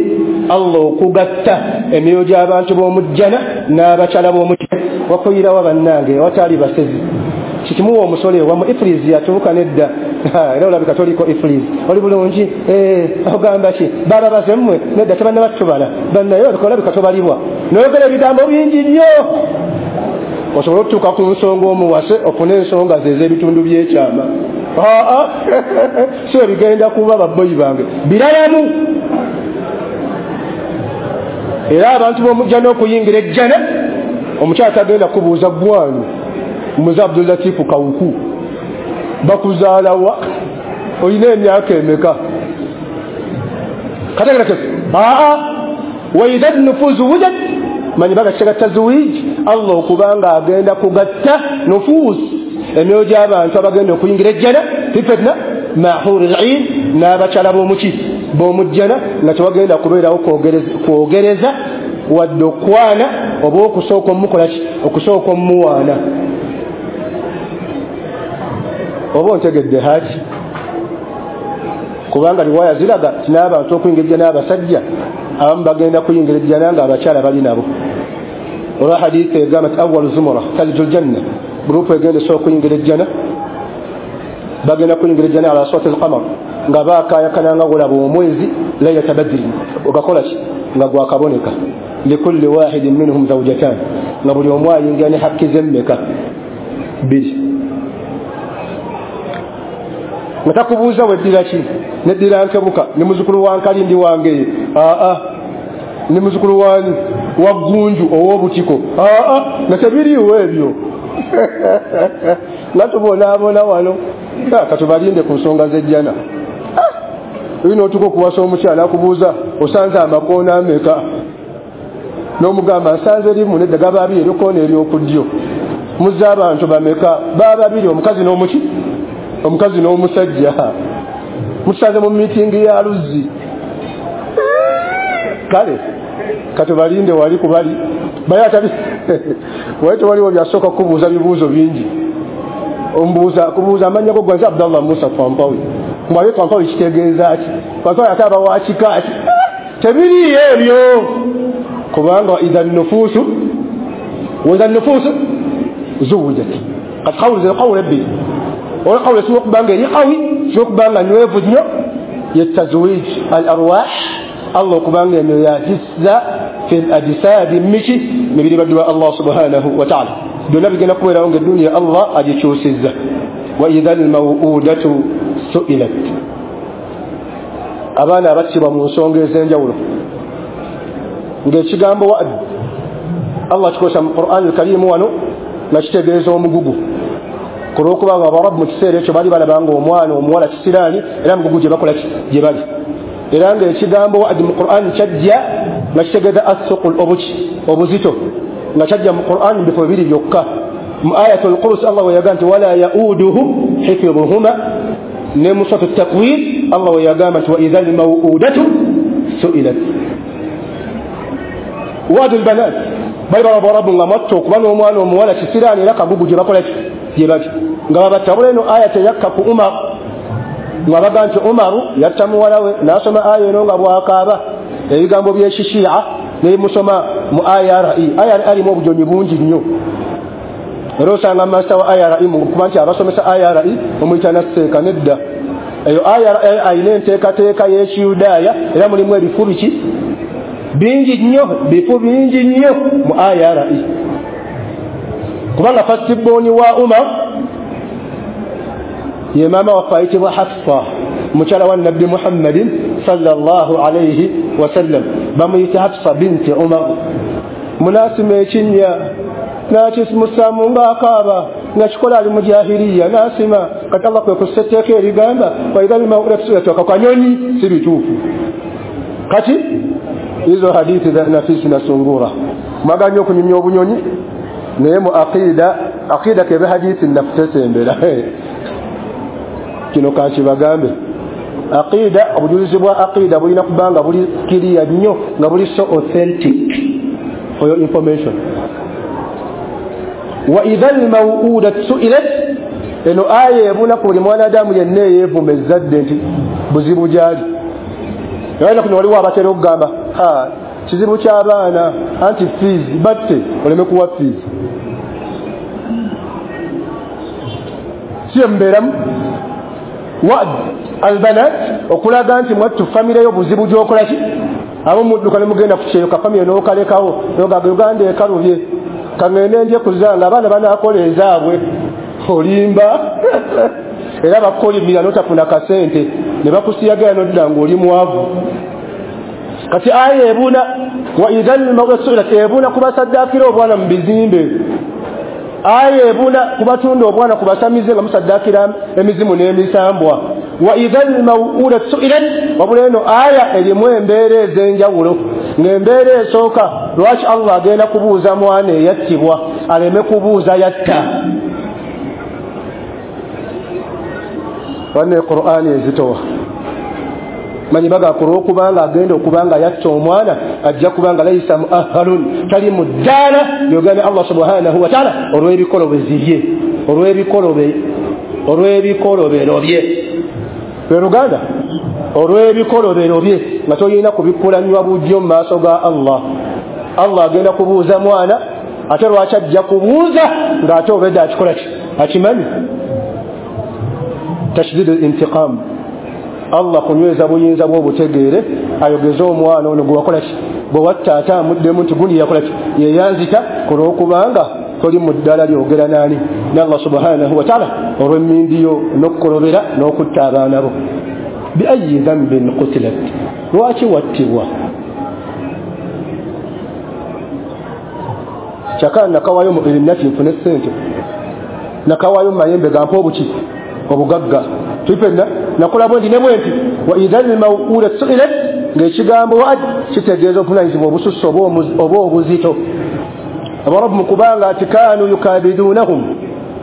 Allah okugatta emyoyo gy'abantu b'omujjana n'abakyala b'omujjana. Wakuyirawa bannange watali basezi kikimuwa omusolo ewamu ifriz yatuuka nedda, era olabika toliko ifriz, oli bulungi, ogamba ki baba baze mmwe nedda tebanna batubala bannaye olabika tobalibwa, noyogera ebigambo bingi nnyo osobola okutuuka ku nsonga omuwase ofune ensonga ze ez'ebitundu by'ekyama. Si ebigenda kuba babboyi bange biralamu. Era abantu b'omujjana okuyingira ejjana, omukyala tagenda kubuuza gwani muze Abdulatifu Kawuku bakuzaalawa, olina emyaka emeka, kategerekese. Wa idha nufuzu wujat, manyi baga tazwij, Allah okubanga agenda kugatta nufus emyoyo gy'abantu abagenda okuyingira ejjana fitna mahuril 'ain n'abakyala b'omuki b'omujjana, nga tewagenda kubeerawo kwogereza wadde okwana oba okusooka omukolaki, okusooka omuwaana. Oba ontegedde haji, kubanga riwaya ziraga nti n'abantu okuyingira ejjana n'abasajja abamu bagenda kuyingira ejjana nga abakyala bali nabo. Olwa hadithi egamba nti awwalu zumura talijul janna, gurupu egenda esooka okuyingira ejjana bagenda kuyingira ejjana ala sawti al-qamar, nga baakaayakana nga gulaba omwezi laylata badri, ogakola ki nga gwakaboneka, likulli wahidin minhum zawjatan, nga buli omu ayingira ne hakki ze mmeka bbiri. Nga takubuuza weddira ki, neddira nkebuka ne muzukulu wa Nkalindi wange, ne muzukulu wani wa Gunju ow'obutiko, nga tebiriiwo ebyo. Nga tubonaabona wano, katubalinde ku nsonga z'ejjana. Olina otuuka okuwasa omukyala akubuuza osanze amakoona ameka, n'omugamba nsanze limu nedda gaba abiri eryokoona ery'okuddyo, muzze abantu bameka, baba babiri, omukazi n'omuki, omukazi n'omusajja, mutusanze mu miitingi ya luzzi. Kale katubalinde wali kubali bayatabi wali tewaliwo byasooka kubuuza bibuuzo bingi. Ombuuza kubuuza amannya go gwanze Abdallah Musa Twampawi, mwaye Twampawi kitegeeza ki? Twampawi ate aba wa kika ki? Tebiriiyo ebyo, kubanga idha nufuusu wa idha nufuusu zuwujat. Kati qawlu ze qawlu ebbiri, olwa qawlu esinga okuba nga eri qawi, singa okuba nga nywevu nnyo, ye tazwij al arwah, Allah okubanga emyoyo yagissa fil ajsadi miki mibiri baddu ba Allah subhanahu wa ta'ala. Byonna bigenda kubeerawo ng'edduniya Allah agikyusizza. Wa idha al-maw'udatu su'ilat, abaana abattibwa mu nsonga ez'enjawulo, ng'ekigambo wa'd Allah kikozesa mu Qur'an al-Karim wano nga kitegeeza omugugu, ku lw'okubanga Abarabu mu kiseera ekyo baali balaba nga omwana omuwala kisiraani, era mugugu gye bakola gye bali. Era ng'ekigambo wa'd mu Qur'an kyajja nga kitegeeza as-suqul, obuki, obuzito, nga kyajja mu Qur'an mu bifo bibiri byokka. Mu ayatul Qursi Allah we yagamba nti wala yauduhu hifdhuhuma, ne mu suratu Takwir Allah we yagamba nti wa idha al-maw'udatu su'ilat. Wa'dul banat, bali balaba Abarabu nga mwatta okuba n'omwana omuwala kisiraani era kagugu gye bakola gye bali, nga babatta. Wabula eno aya teyakka ku Umar, nga baga nti Umaru yatta muwala we n'asoma aya eno nga bw'akaaba ebigambo by'ekishiya nebimusoma mu IRE. IRE alimu obujonyi bungi nnyo, era osanga masita wa IRE kuba nti abasomesa IRE omuyita nasseeka nedda. Eyo IRE ayina enteekateeka y'ekiyudaaya, era mulimu ebifu biki bingi nnyo, bifu bingi nnyo mu IRE, kubanga fastiboni wa Umar ye maama waffe ayitibwa Hafsa, mukyala wa Nabbi Muhammadin sallallahu alayhi wasallam, bamuyita Hafsa binti Umar. Munasima ekinnya n'akisimusaamu ng'akaaba nga kikola ali mu jahiliya, n'asima. Kati Allah kwe kussa etteeka erigamba waidha lmawudatu su'ilat, akanyonyi si bituufu. Kati Hizo hadithi za nafisi na sungura. Mwagala nnyo okunyumya obunyonyi naye mu aqida kebe hadithi nafutesembera. Kino kankibagambe. Aqida, obujulizi bwa aqida bulina kubanga buli clear nnyo nga buli so authentic for your information. Wa idha al-maw'udat su'ilat, eno aya ebuna ku buli mwanadamu yenna eyeevuma ezzadde nti buzibu gyali. Era kuno waliwo abatera okugamba kizibu ky'abaana anti fees batte oleme kuwa fees. Si embeeramu wad albanat okulaga nti mwattu famire yo buzibu gy'okola ki, abo mudduka ne mugenda ku kyeyo ka famire n'okalekawo n'ogamba Uganda ekalubye kangende nje kuzanga abaana banaakola ezaabwe. Olimba era bakolimira n'otafuna kasente ne bakusiyagala n'odda ng'oli mwavu. Kati aya ebuna wa idhal mawsulat ebuna kubasaddakira obwana mu bizimbe. Aya ebuna kubatunda obwana kubasamize nga musaddakira emizimu n'emisambwa. Wa idhal mawudat su'ilat, wabula eno aya erimu embeera ez'enjawulo. Ng'embeera esooka lwaki Allah agenda kubuuza mwana eyattibwa aleme kubuuza yatta. Wanne Qur'ani ezitowa manyi baga kulwokubanga agenda okubanga yatta omwana ajja kubanga laysa muahalun tali muddala yogana Allah subhanahu wa ta'ala olw'ebikolobezi olw'ebikolobero bye luganda olw'ebikolobero bye nga toyina kubikulanywa bujjo mu maaso ga Allah. Allah agenda kubuuza mwana ate lwaki ajja kubuuza ng'ate obedde akikola ki akimanyi. Tashdid al-intiqam, Allah kunyweza buyinza bw'obutegeere ayogeze omwana ono gwe wakola ki bwe watta ate amuddemu nti gundi yakola ki yeyanzita ku lw'okubanga toli mu ddala lyogera naani ne Allah subhanahu wa ta'ala olw'emmindi yo n'okukolobera n'okutta abaana bo. Bi ayyi dhanbin qutilat, lwaki wattibwa? Kyakala nakawayo mu erinati nfune ssente, nakawayo mu mayembe gampa obuki obugagga tupenda nakola bwe ndi ne bwe nti. Wa idhal mawudat su'ilat, ng'ekigambo wad kitegeeza obuvunaanyizibwa obususse oba obuzito. Abarabu mu kubanga ati kaanu yukabidunahum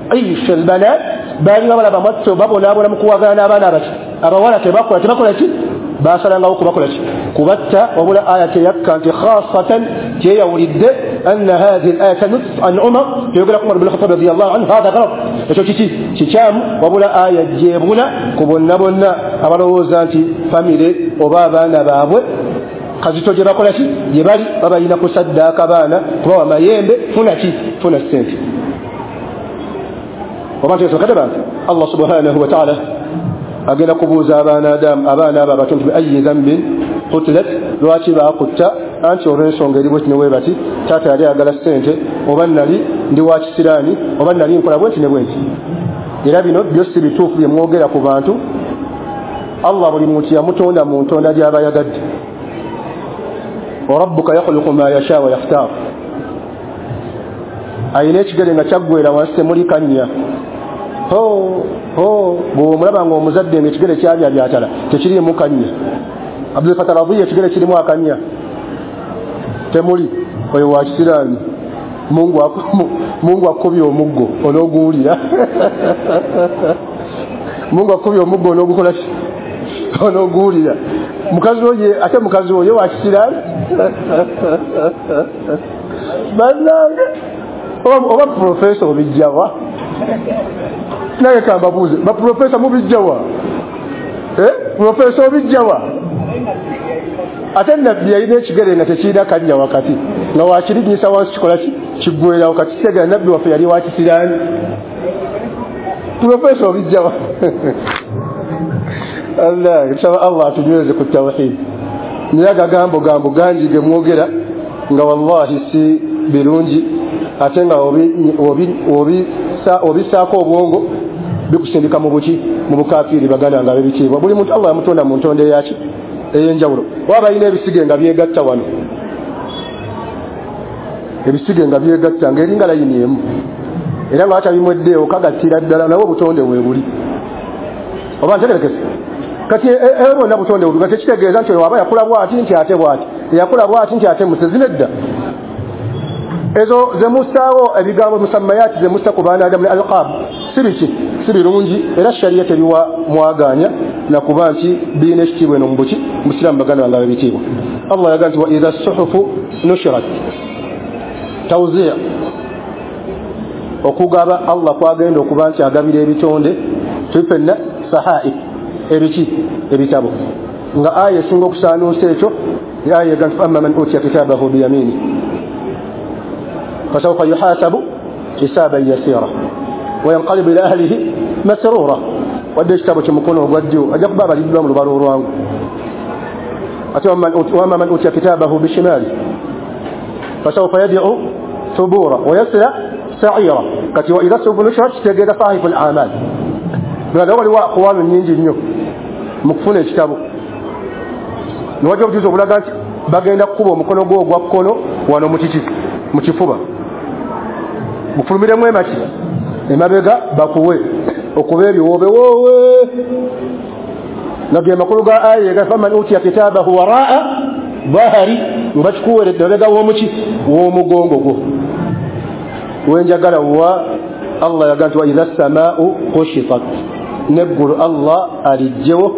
aisha albanat, balinga balaba mwattu babonaabona mu kuwagana n'abaana abaki abawala tebakola ki basalangawo kubakola ki kubatta. Wabula aya teyakka nti khasatan kyeyawulidde anna hadhihi al-aya tanus an Umar yogera Umar bin Khattab radiyallahu anhu hadha ghalab, ekyo kiki kikyamu. Wabula aya gyebuna ku bonna bonna abalowooza nti famire oba abaana baabwe kazito gye bakola ki gye bali babalina kusaddaaka baana kubawa mayembe funa ki funa ssente. Oba nti bantu Allah subhanahu wa ta'ala agenda kubuuza abaana abo abato nti ayi dhanbin qutilat, lwaki baakutta? Anti olw'ensonga eri bweti ne bwe bati, taata yali ayagala ssente oba nali ndi wa kisiraani oba nali nkola bweti ne bweti. Era bino byo si bituufu bye mwogera ku bantu. Allah buli muntu yamutonda mu ntonda gy'aba yagadde. Wa rabbuka yakhluqu ma yasha wa yakhtar. Ayina ekigere nga kyaggwera wansi temuli kannya. Bw'omulaba ng'omuzadde ng'ekigere kyabya byatala tekiriimu kannya. Abdul Fattah Radhiya ekigere kirimu akannya temuli, oyo wa kisiraani. Mungu akubye omuggo onooguwulira. Mungu akubye omuggo onoogukola ki onooguwulira. Mukazi oye ate mukazi oyo wa kisiraani bannange oba profesa obijjawa? Naye kambabuuze baprofesa mubijjawa? Profesa obijjawa? Ate nabbi yalina ekigere nga tekirina kannya wakati nga wakirinyisa wansi kikola ki kiggwerawo. Kati kitegera nabbi waffe yali wa kisiraani. Profesa obijjawa? Allah tusaba Allah atunyweze ku tawhid. Naye agagambo gambo gangi ge mwogera nga wallahi si birungi ate nga obisaako obwongo bikusindika mu buki mu bukafiiri. Baganda nga ab'ebitiibwa buli muntu Allah yamutonda mu ntonda eyaki ey'enjawulo. Oba balina ebisige nga byegatta wano, ebisige nga byegatta ng'eringa layini emu era nga batabimweddeewo kagattira ddala nawe obutonde weebuli. Oba ntegerekese Kati ebona butonde obuga tekitegeeza nti waba yakula bwati nti ate bwati, yakula bwati nti ate musezi nedda. Ezo zemusaawo ebigambo musammayati zemusa ku baana Adamu ne alqab si biki, si birungi, era sharia teriwa mwaganya nakuba nti birina ekitiibwa eno mubuki musiraamu baganda bange ab'ebitiibwa. Allah yagamba nti wa idha suhufu nushirat, tawzi' okugaba Allah kwagenda okuba nti agabira ebitonde tufenna sahaif ebiki ebitabo, nga aya esinga okusaanuusa ekyo aya egamba nti amma man utiya kitabahu biyamini fasawfa yuhasabu hisaban yasira wayanqalibu ila ahlihi masrura. Wadde ekitabo kyemukono ogwa ddyo ajja kuba abaliddwa mu lubalo olwangu. Ate wamma man utiya kitabahu bishimali fasawfa yad'u thubura wayasla sa'ira. Kati wa idha suhufu nushirat kitegeeza sahifu al-amal. Nga waliwo aqwalu nnyingi nnyo mu kufuna ekitabo, niwajja obujuzi obulaga nti bagenda kukuba omukono gwo ogwa kkono wano mukiki mu kifuba, gufulumiremu emaki emabega bakuwe okuba ebiwoobe woowe. Nga ge makulu ga aya ega faman utiya kitabahu waraa dhahari, nga bakikuweredde mabega w'omuki w'omugongo gwo. Wenjagala wa Allah yagamba nti wa idha samaau kushitat, neggulu Allah alijjewo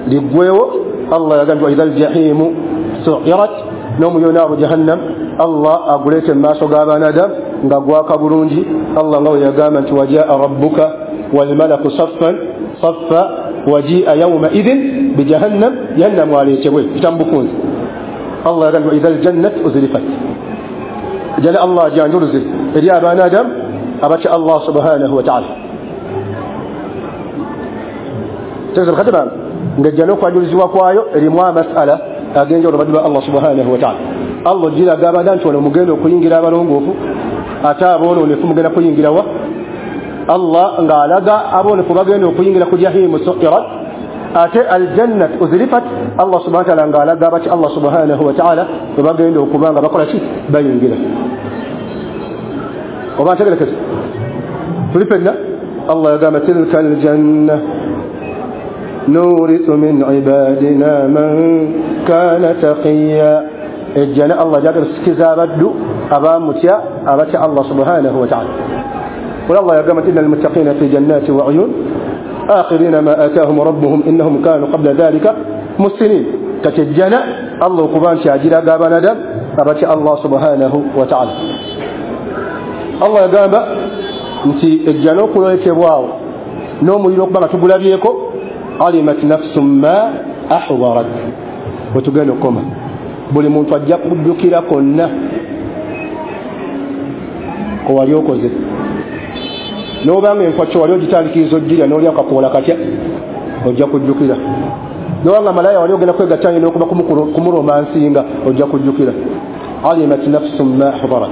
liggwewo. Allah yagamba nti wa idha aljahimu suirat, n'omuliro naaru jahannam Allah aguleete mu maaso g'abaana Adamu nga gwaka bulungi. Allah nga bwe yagamba nti wajaa rabbuka walmalaku saffan saffa wajia yawma idhin bijahannam, jahannamu aleetebwe kitamubukunzi. Allah yagamba nti wa idha aljannat uzlifat, jana Allah ajanjuluze eri abaana Adamu abatya Allah subhanahu wa ta'ala. Tegeeza bakadde bange ng'ejja n'okwanjulizibwa kwayo erimu amasala ag'enjawulo baddu ba Allah subhanahu wa ta'ala. Allah ogiraga abaana nti wano mugenda okuyingira abalongoofu, ate aboonoonefu mugenda kuyingira wa? Allah ng'alaga aboonefu bagenda okuyingira ku jahimu suirat, ate aljannat uzlifat. Allah subhanahu wa ta'ala ng'alaga abatya Allah subhanahu wa ta'ala bwe bagenda okuba nga bakola ki? Bayingira. Oba ntegerekese tuli ffenna. Allah yagamba tilka aljanna nurithu min ibadina man kana taqiya, ejjana Allah gyagala tusikiza abaddu abamutya abatya Allah subhanahu wa ta'ala. Wala Allah yagamba inna almuttaqina fi jannati wa uyun akhirina ma atahum rabbuhum innahum kanu qabla dhalika muhsinin. Kati ejjana Allah okuba nti agiraga abaana Adamu abatya Allah subhanahu wa ta'ala. Allah yagamba nti ejjana okuleetebwawo n'omuliro okuba nga tugulabyeko, alimat nafsum ma ahdarat, wetugenda okukoma buli muntu ajja kujjukira konna kowali okoze. N'obanga enkwakyo wali ogitandikiriza ogirya n'olya akakoola katya, ojja kujjukira. N'obanga malaya wali ogenda kwegatta n'okuba kumuromansinga, ojja kujjukira. Alimat nafsum ma ahdarat.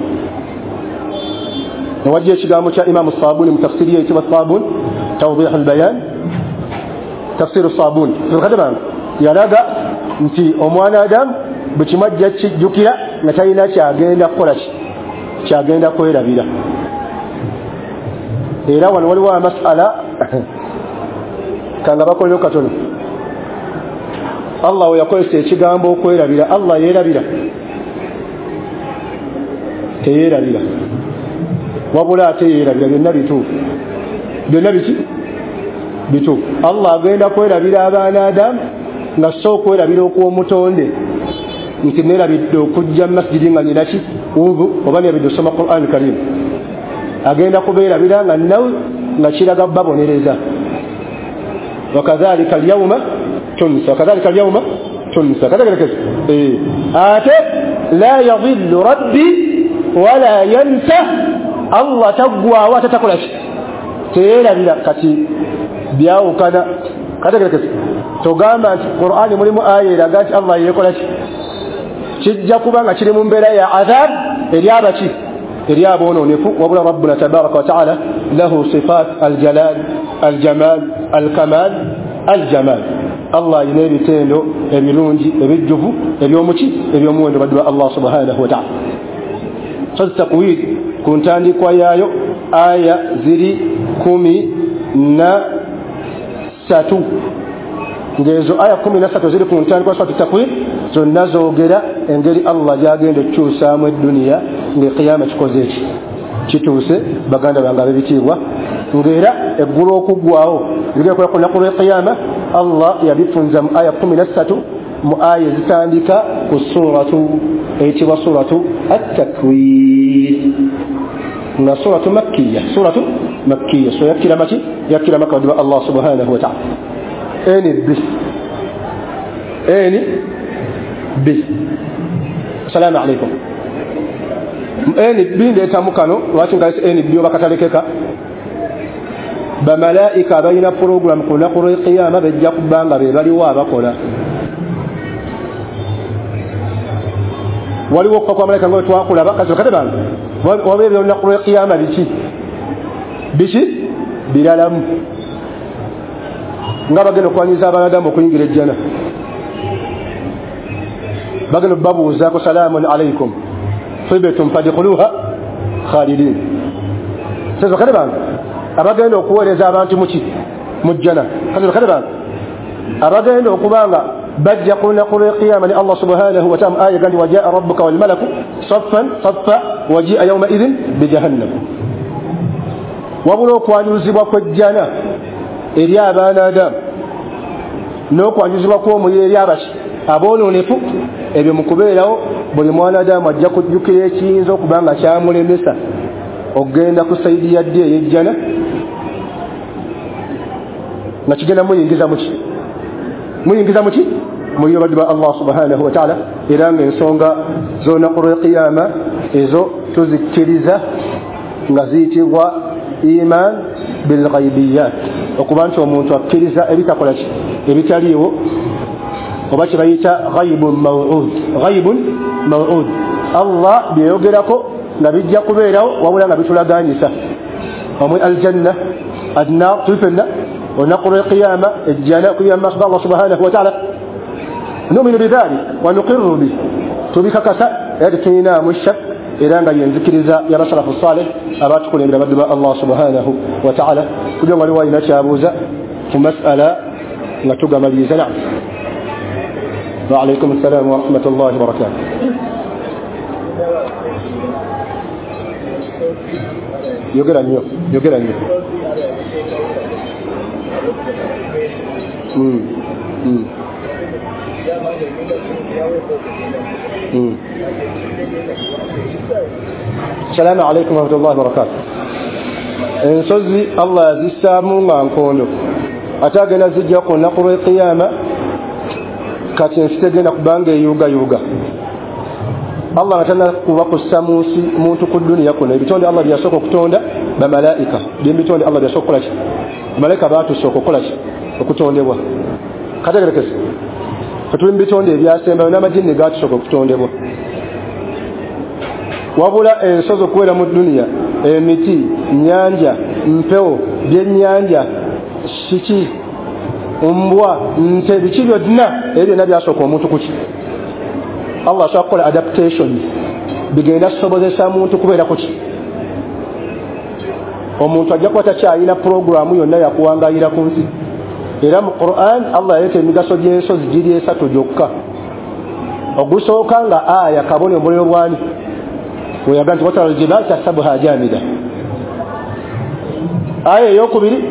Nawajja ekigambo kya Imamu Sabuni mu tafsiri ye eyitibwa Sabuni Tawdih al-Bayan, tafsiru Sabuni. Bakadde bange yalaga nti omwana Adamu bwe kimu ajja kijjukira nga talina kyagenda kukola ki, kyagenda kwerabira. Era wano waliwo amasala kanga bakolero katono. Allah we yakozesa ekigambo okwerabira, Allah yeerabira? Teyeerabira, wabula ate yeerabira. Byonna bituufu, byonna biki bituufu. Allah agenda kwerabira abaana Adamu nga so okwerabira okw'omutonde nti neerabidde okujja mu masjidi nga nyinaki wudu oba neerabidde okusoma Quran Karim, agenda kubeerabira nga nawe nga kiraga babonereza. Wakadhalika alyawma tunsa, wakadhalika alyawma tunsa. Kategerekese ate la yadhillu rabbi wala yansa, Allah taggwawo ate takola ki? Teyeerabira. Kati byawukana. Kategerekese togamba nti Qur'ani mulimu aya eraga nti Allah yeekola ki? Kijja kuba nga kiri mu mbeera ya adhab eri abaki eri aboononefu. Wabula rabbuna tabaraka wa taala lahu sifat aljalal aljamal alkamal aljamal. Allah alina ebitendo ebirungi ebijjuvu ebyomuki ebyomuwendo baddu ba Allah subhanahu wa ta'ala. So takwid ku ntandikwa yaayo aya ziri 13. Ng'ezo aya 13 ziri ku ntandikwa suratu Takwir, zonna zoogera engeri Allah gy'agenda okukyusaamu edduniya ng'ekiyama kikoze eki kituuse. Baganda bange ab'ebitiibwa, ng'era eggulu okuggwawo bigenda kuba ku lunaku lw'ekiyama. Allah yabifunza mu aya 13 mu aya ezitandika ku suratu eyitibwa suratu At-Takwir, nga suratu Makkiya, suratu Makkiya. So yakkira maki, yakkira Makka wa Allah subhanahu wa ta'ala. N B N B. Assalamu alaikum. N B ndeetamu kano lwaki nkalese N B oba katalekeka. Bamalaika balina program ku lunaku lw'ekiyama bejja kuba nga be baliwo abakola. Waliwo okufa kwa malayika nga bwe twakulaba kasi kate bange waba ebyolunaku lw'ekiyama biki biki biralamu, nga bagenda okwanyiza abanadamu okuyingira ejjana, bagenda babuuzaako salaamun alaikum tibtum fadkhuluha khalidin. Sezo kale bange abagenda okuweereza abantu muki mu jjana, kale kale bange abagenda okubanga bajja ku lunaku lw'ekiyama ne Allah subhanahu wa ta'ala aya gandi wajaa rabbuka wal malaku saffan saffa wajia yawma idhin bijahannam. Wabula okwanjuluzibwa kw'ejjana eri abaana Adamu n'okwanjuluzibwa kw'omuliro eri abaki aboononefu, ebyo mu kubeerawo buli mwana Adamu ajja kujjukira ekiyinza okuba nga kyamulemesa okugenda ku sayidi ya ddi ey'ejjana nga kigenda muyingiza muki, muyingiza muki muliro baddu ba Allah subhanahu wa ta'ala. Era ng'ensonga z'olunaku lw'ekiyama ezo tuzikkiriza nga ziyitibwa iman bilghaibiyat, okuba nti omuntu akkiriza ebitakola ki ebitaliiwo, oba kye bayita ghaibun maw'ud. Ghaibun maw'ud, Allah byeyogerako nga bijja kubeerawo wabula nga bitulaganyisa omwe aljanna annar tufenna olunaku lw'ekiyama ejjana okuyira mu maaso ga Allah subhanahu wa ta'ala. Numinu bidhalik wa nuqirru bih, tubikakasa era tetulinaamu shak, era nga yenzikiriza y'abasalafu saleh abatukulembera baddu ba Allah subhanahu wa ta'ala. Kugira nga waliwo alina kyabuuza ku mas'ala nga tugamaliriza. Naam. Wa alaikum assalam wa rahmatullahi wa barakatuh. Yogera nnyo, yogera nnyo. Assalamu alaikum warahmatullahi wabarakatuh. Ensozi Allah yazissaamu nga nkondo, ate agenda zijja ku lunaku lw'ekiyama. Kati ensi tegenda kubanga eyuugayuuga. Allah nga tannakuba kussa mu nsi muntu ku dduniya kuno. Ebitonde Allah byeyasooka okutonda bamalaika, byebitonde Allah byeyasooka okukola ki, bamalayika baatusooka okukola ki, okutondebwa. Kategerekese tuli mu bitonde ebyasembayo n'amajinni gaatusooka okutondebwa. Wabula ensozi okubeera mu dduniya, emiti, nnyanja, mpewo, byennyanja, kiki, mbwa, nte, biki byonna ebyo byonna byasooka omuntu kuki. Allah asobola kukola adaptation bigenda kusobozesa muntu kubeera kuki. Omuntu ajja kuba takyalina puroguramu yonna yakuwangayira ku nsi. Era mu Quran Allah yaleeta emigaso gy'ensozi giri esatu gyokka. Ogusooka nga aya kabone omuliro bwani weyaga nti watara aljibal tahsabuha jamida. Aya eyokubiri,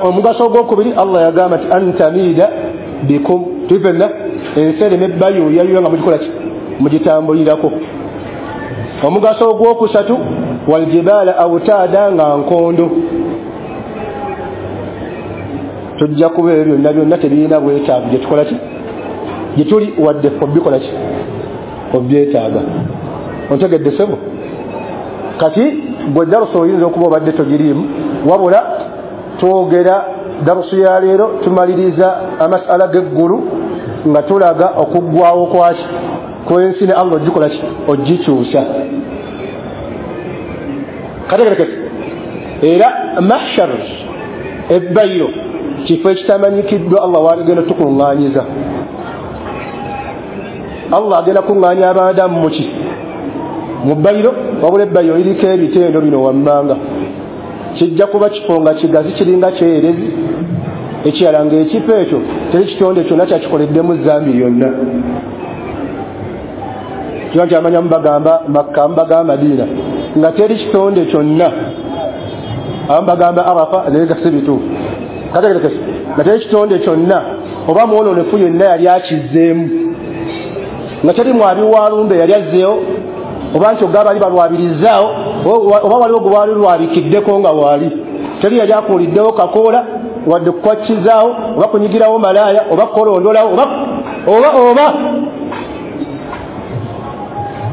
omugaso ogwokubiri Allah yagamba nti antamida bikum, tufenna ensi ereme bayuuyayuya nga mugikola ki, mugitambulirako. Omugaso ogwokusatu waljibala awtaada, nga nkondo. Tujja kuba ebyo byonna byonna tebirina bwetaavu gye tukola ki, gye tuli wadde ffe obikola ki, obyetaaga. Ontegedde ssebo? Kati gwe darusu oyinza okuba obadde togiriimu, wabula twogera darusu ya leero tumaliriza amasala g'eggulu nga tulaga okuggwawo kwaki kw'ensi ne Allah ogikola ki, ogikyusa. Kategerekese. Era mahshar ebbayiro kifo ekitamanyikiddwa Allah w'agenda tukuŋŋaanyiza. Allah agenda kuŋŋaanya abaadamu muki mu bbayiro, wabula ebbayiro liriko ebitendo bino wammanga. Kijja kuba kifo nga kigazi kiringa kyerezi, ekirala ng'ekifo ekyo Teri kitonde kyonna kyakikoleddemu zambi yonna. Kiba nti amanya mubagamba Makka, mubagamba Madiina, nga teri kitonde kyonna. Abamu bagamba Arafa, naye nga si bituufu. Kategerekese nga teri kitonde kyonna oba mwonoonefu yenna yali akizzeemu, nga teri mwabi walumbe yali azzeewo, oba nti ogaba bali balwabirizaawo, oba waliwo gwe baali lwabikiddeko nga waali. Teri yali akuuliddewo kakoola wadde kukwakizaawo oba kunyigirawo malaaya oba kukolondolawo oba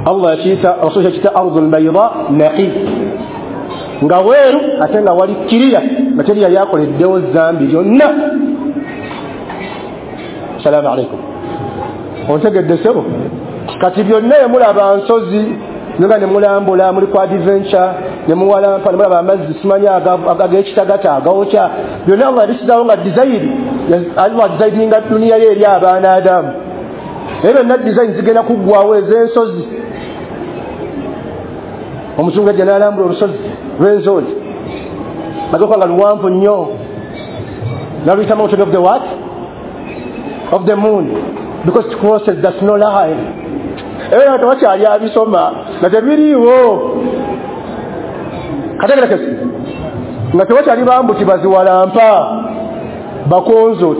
Allah yakiyita, Rasul yakiyita ardul bayda naqi, nga weeru ate nga wali kiriya, nga teri yali akoleddewo zambi lyonna. Salaamu alaikum. Ontegedde ssebo? Kati byonna emulaba nsozi nga ne mulambula, muli ku adventure ne muwalampa, ne mulaba amazzi simanyi ag'ekitagata agawokya, byonna Allah yabisizaawo nga design. Allah designinga duniya ye eri abaana Adamu. Naye byonna design zigenda kuggwawo ez'ensozi. Omuzungu ajja n'alambula olusozi lw'ensozi, maze nga luwanvu nnyo, n'aluyita mountain of the what? Of the moon, because it crosses the snow line. Era tewakyali abisoma nga tebiriiwo. Kategerekese nga tewakyali bambuki baziwalampa bakonzo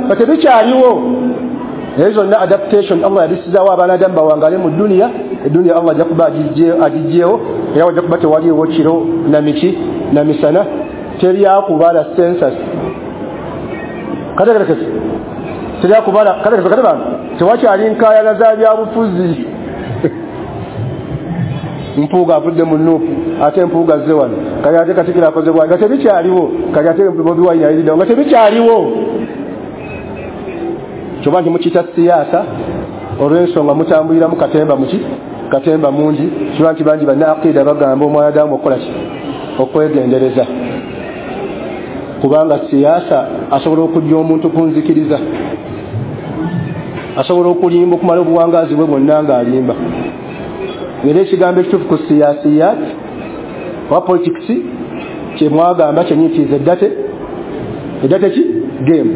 nga tebikyaliwo. Ezo zonna adaptation Allah yabisizaawo abaana Adamu bawangale mu duniya. Eduniya Allah ajja kuba agiggyewo, era wajja kuba tewaliiwo kiro na miki na misana, teri akubala census. Kategerekese teri akubala. Kategerekese kati bantu tewakyali nkaayana za byabufuzi. Mpuuga avudde mu Nuupu, ate Mpuuga azze wano, kati ate Katikkiro akoze bw'ati, nga tebikyaliwo. Kati ate Bobi Wine ayiriddewo, nga tebikyaliwo. Kyoba nti mukiyita siyaasa olw'ensonga mutambuliramu katemba muki katemba mungi. Kiba nti bangi banna aqida bagamba omwana Adamu okukola ki? Okwegendereza, kubanga siyaasa asobola okujja omuntu ku nzikiriza, asobola okulimba okumala obuwangaazi bwe bwonna ng'alimba. Era ekigambo ekituufu ku siyasiyat oba politics kyemwagamba kyenyintiiza eddate ki game.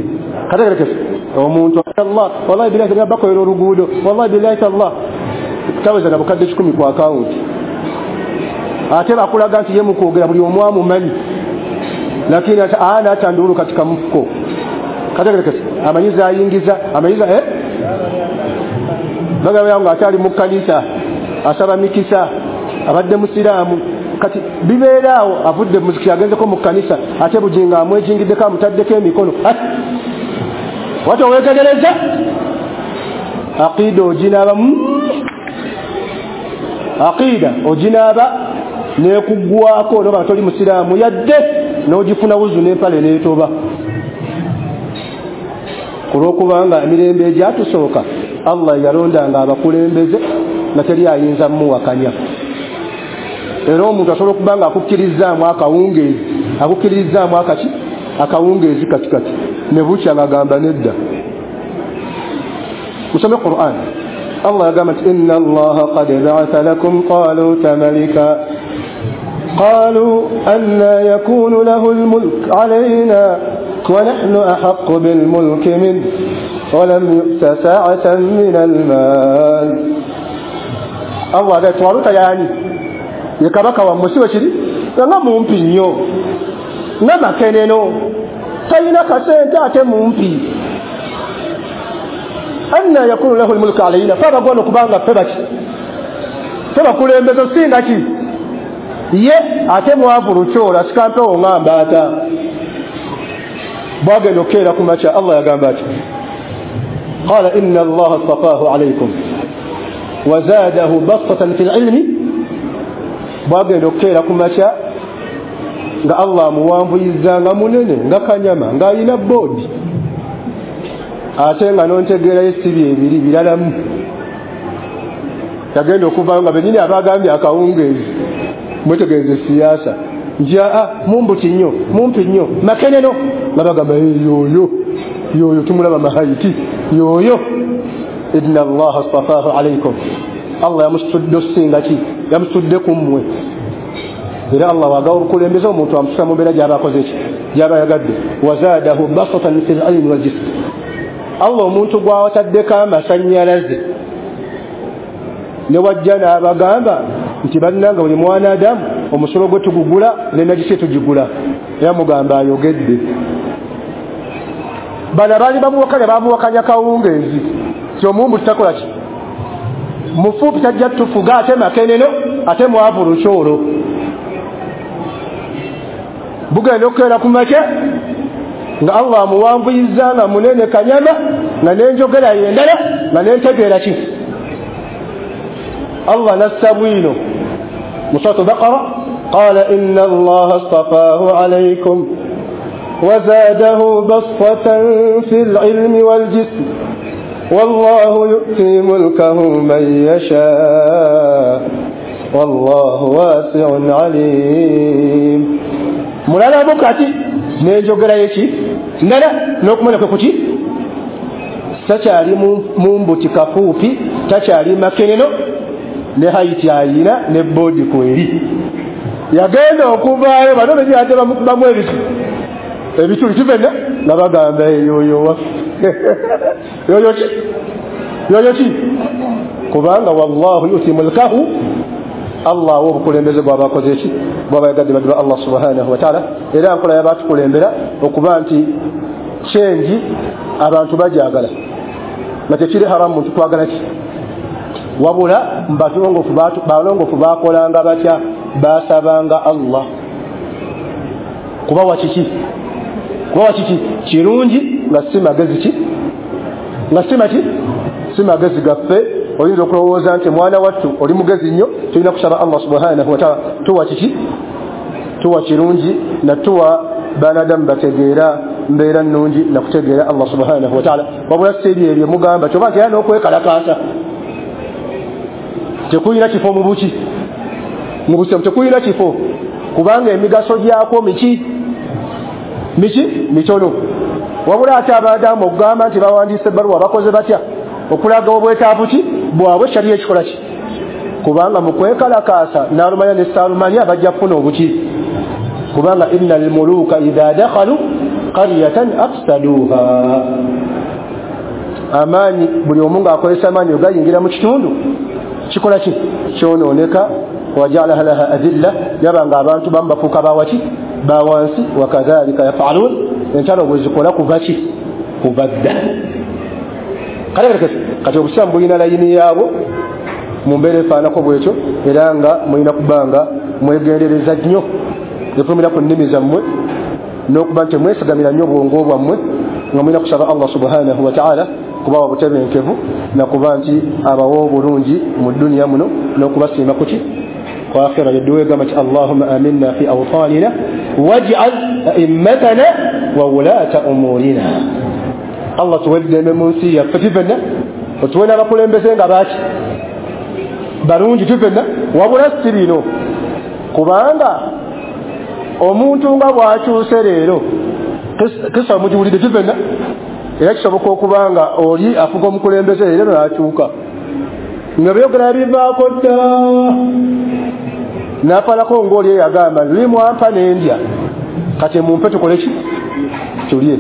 Kategerekese omuntu Allah wallahi billahi talla bakolera oluguudo, wallahi billahi talla taweza na bukadde 10 ku akawunti, ate bakulaga nti ye mukwogera buli omu amumanyi, lakini ana atandulu katika mfuko. Kategerekese amanyiza ayingiza amanyiza bagamba yangu akyali mu kkanisa asaba mikisa, abadde musiraamu. Kati bibeeraawo avudde muzikiti agenzeko mu kkanisa, ate Bujingo amwejingiddeko amutaddeko emikono. Wati oweetegereza aqida oginaabamu, aqida oginaaba nekuggwako noba toli musiraamu yadde n'ogifuna wuzu n'empale n'etoba, olw'okubanga emirembe egyatusooka Allah yalondanga abakulembeze nga teri ayinza mmuwakanya. Era omuntu asobola okuba nga akukkirizaamu akawungeezi, akukkirizaamu akaki akawungeezi katikati, ne bukya ng'agamba nedda. Musome Qur'an. Allah yagamba nti inna Allaha qad ba'atha lakum taluta malika qalu anna yakunu lahu al-mulk alayna wa nahnu ahaqqu bil-mulki minhu wa lam yu'ta sa'atan min al-mal. Allah aga Taluta yani ye kabaka wammwe si bwe kiri, nga mumpi nnyo, nga makeneno, talina kasente ate mumpi. Anna yakunu lahu al-mulku alayna, fe abagwana okubanga ffe baki ffe bakulembeze osinga ki ye, ate mwavu lukyola sikampewo nga mbaata. Bwagenda okukeera ku makya Allah yagamba ati qala inna Allaha astafahu alaykum wazadahu bastatan fil ilmi. Bwagenda okukeera ku makya nga Allah amuwanvuyiza nga munene nga kanyama ng'alina boodi, ate nga nontegeerayo sibi ebiri biralamu. Yagenda okuvaayo nga bennyini abagambye akawungeezi, mwetegereze siyaasa nti mumbuti nnyo mumpi nnyo makeneno, nga bagamba yoyo yoyo tumulaba mahaiti yoyo. Inna Allaha astafahu alaykum, Allah yamusitudde osinga ki, yamusitudde ku mmwe. Era Allah wagawa obukulembeze omuntu amususa mu mbeera gy'aba akoze ki, gy'aba ayagadde. Wazaadahu basatan fil ilmi wal jism, Allah omuntu gw'awataddeko amasannyalaze ne wajja n'abagamba nti bannanga buli mwana Adamu omusolo gwe tugugula ne nagisi tugigula, era mugamba ayogedde. Bano baali bamuwakanya, bamuwakanya kawungeezi ti omumbu tutakola ki, mufupi tajja tufuga, ate makeneno ate mwavu lukyolo. Bugenda okukeera ku makya nga Allah amuwanvuyiza nga munene kanyama, nga n'enjogera yendala, nga n'entegeera ki. Allah nassa bwino mu Suratu Baqara, qala inna Allaha astafaahu alaykum wazadahu bastatan fil ilmi wal jism wallahu yu'ti mulkahu man yasha wallahu wasi'un alim. Mulala bukati n'enjogera yeki ndala n'okumanya kwe kuki, takyali mumbuti kafuupi, takyali makeneno, ne haiti ayina ne bodi kweri. Yagenda okuvaayo bano benyadde bamukubamu ebituli kivena nga bagamba yoyo waffe yoyo ki, yoyo ki, kubanga wallahu yuti mulkahu, Allah awa obukulembeze bw'abakoze ki, bw'abayagadde badde ba Allah subhanahu wa ta'ala. Era nkola y'abatukulembera okuba nti kyengi abantu bagyagala, nga tekiri haramu muntu kwagala ki, wabula balongofu bakolanga batya, basabanga Allah kubawa kiki, kubawa kiki kirungi, nga si magezi ki, nga si maki, si magezi gaffe. Oyinza okulowooza nti mwana wattu oli mugezi nnyo, tulina kusaba Allah subhanahu wa ta'ala tuwa kiki, tuwa kirungi, na tuwa banadamu bategeera mbeera nnungi nakutegeera Allah subhanahu wa ta'ala. Wabula si ebyo ebyo mugamba kyoba nti era n'okwekalakaasa tekulina kifo mu buki, mu busiramu tekulina kifo, kubanga emigaso gyakwo miki miki mitono. Wabula ate abadamu okugamba nti bawandiise ebbaluwa bakoze batya okulaga obwetaavu ki bwabwe, kyali ekikola ki, kubanga mu kwekalakaasa n'alumanya ne saalumanya bajja kufuna obuki, kubanga innal muluka idha dakhalu qaryatan afsaduha. Amaanyi buli omu ng'akozesa amaanyi ogayingira mu kitundu kikola ki, kyonooneka. Wajalaha laha adilla, yabanga abantu bamu bafuuka bawaki, bawansi. Wakadhalika yafalun, entalo bwe zikola kuva ki, kuva dda. Kati obusiraamu bulina layini yaabwo mu mbeera efaanako bwetyo, era nga mulina kubanga mwegendereza nnyo efulumira ku nnimi zammwe, n'okuba nti mwesigamira nnyo obwongo bwammwe, nga mulina kusaba Allah subhanahu wa ta'ala kubawa butebenkevu nakuba nti abawa obulungi mu dduniya muno n'okubasiima kuki kwa akhira. Yadduwa egamba nti Allahumma aminna fi awtanina waj'al a'immatana wa wulata umurina. Allah tuwe eddembe mu nsi yaffe tifenna, otuwe n'abakulembeze nga baki balungi tifenna, wabula si bino, kubanga omuntu nga bw'akyuse leero kisa mugiwulidde tifenna, era kisoboka okuba nga oli afuga omukulembeze leero n'akyuka nga byogera bivaako dda, n'afalako ng'oli eyagamba luli mwampa n'endya, kati mumpe tukole ki, tulye.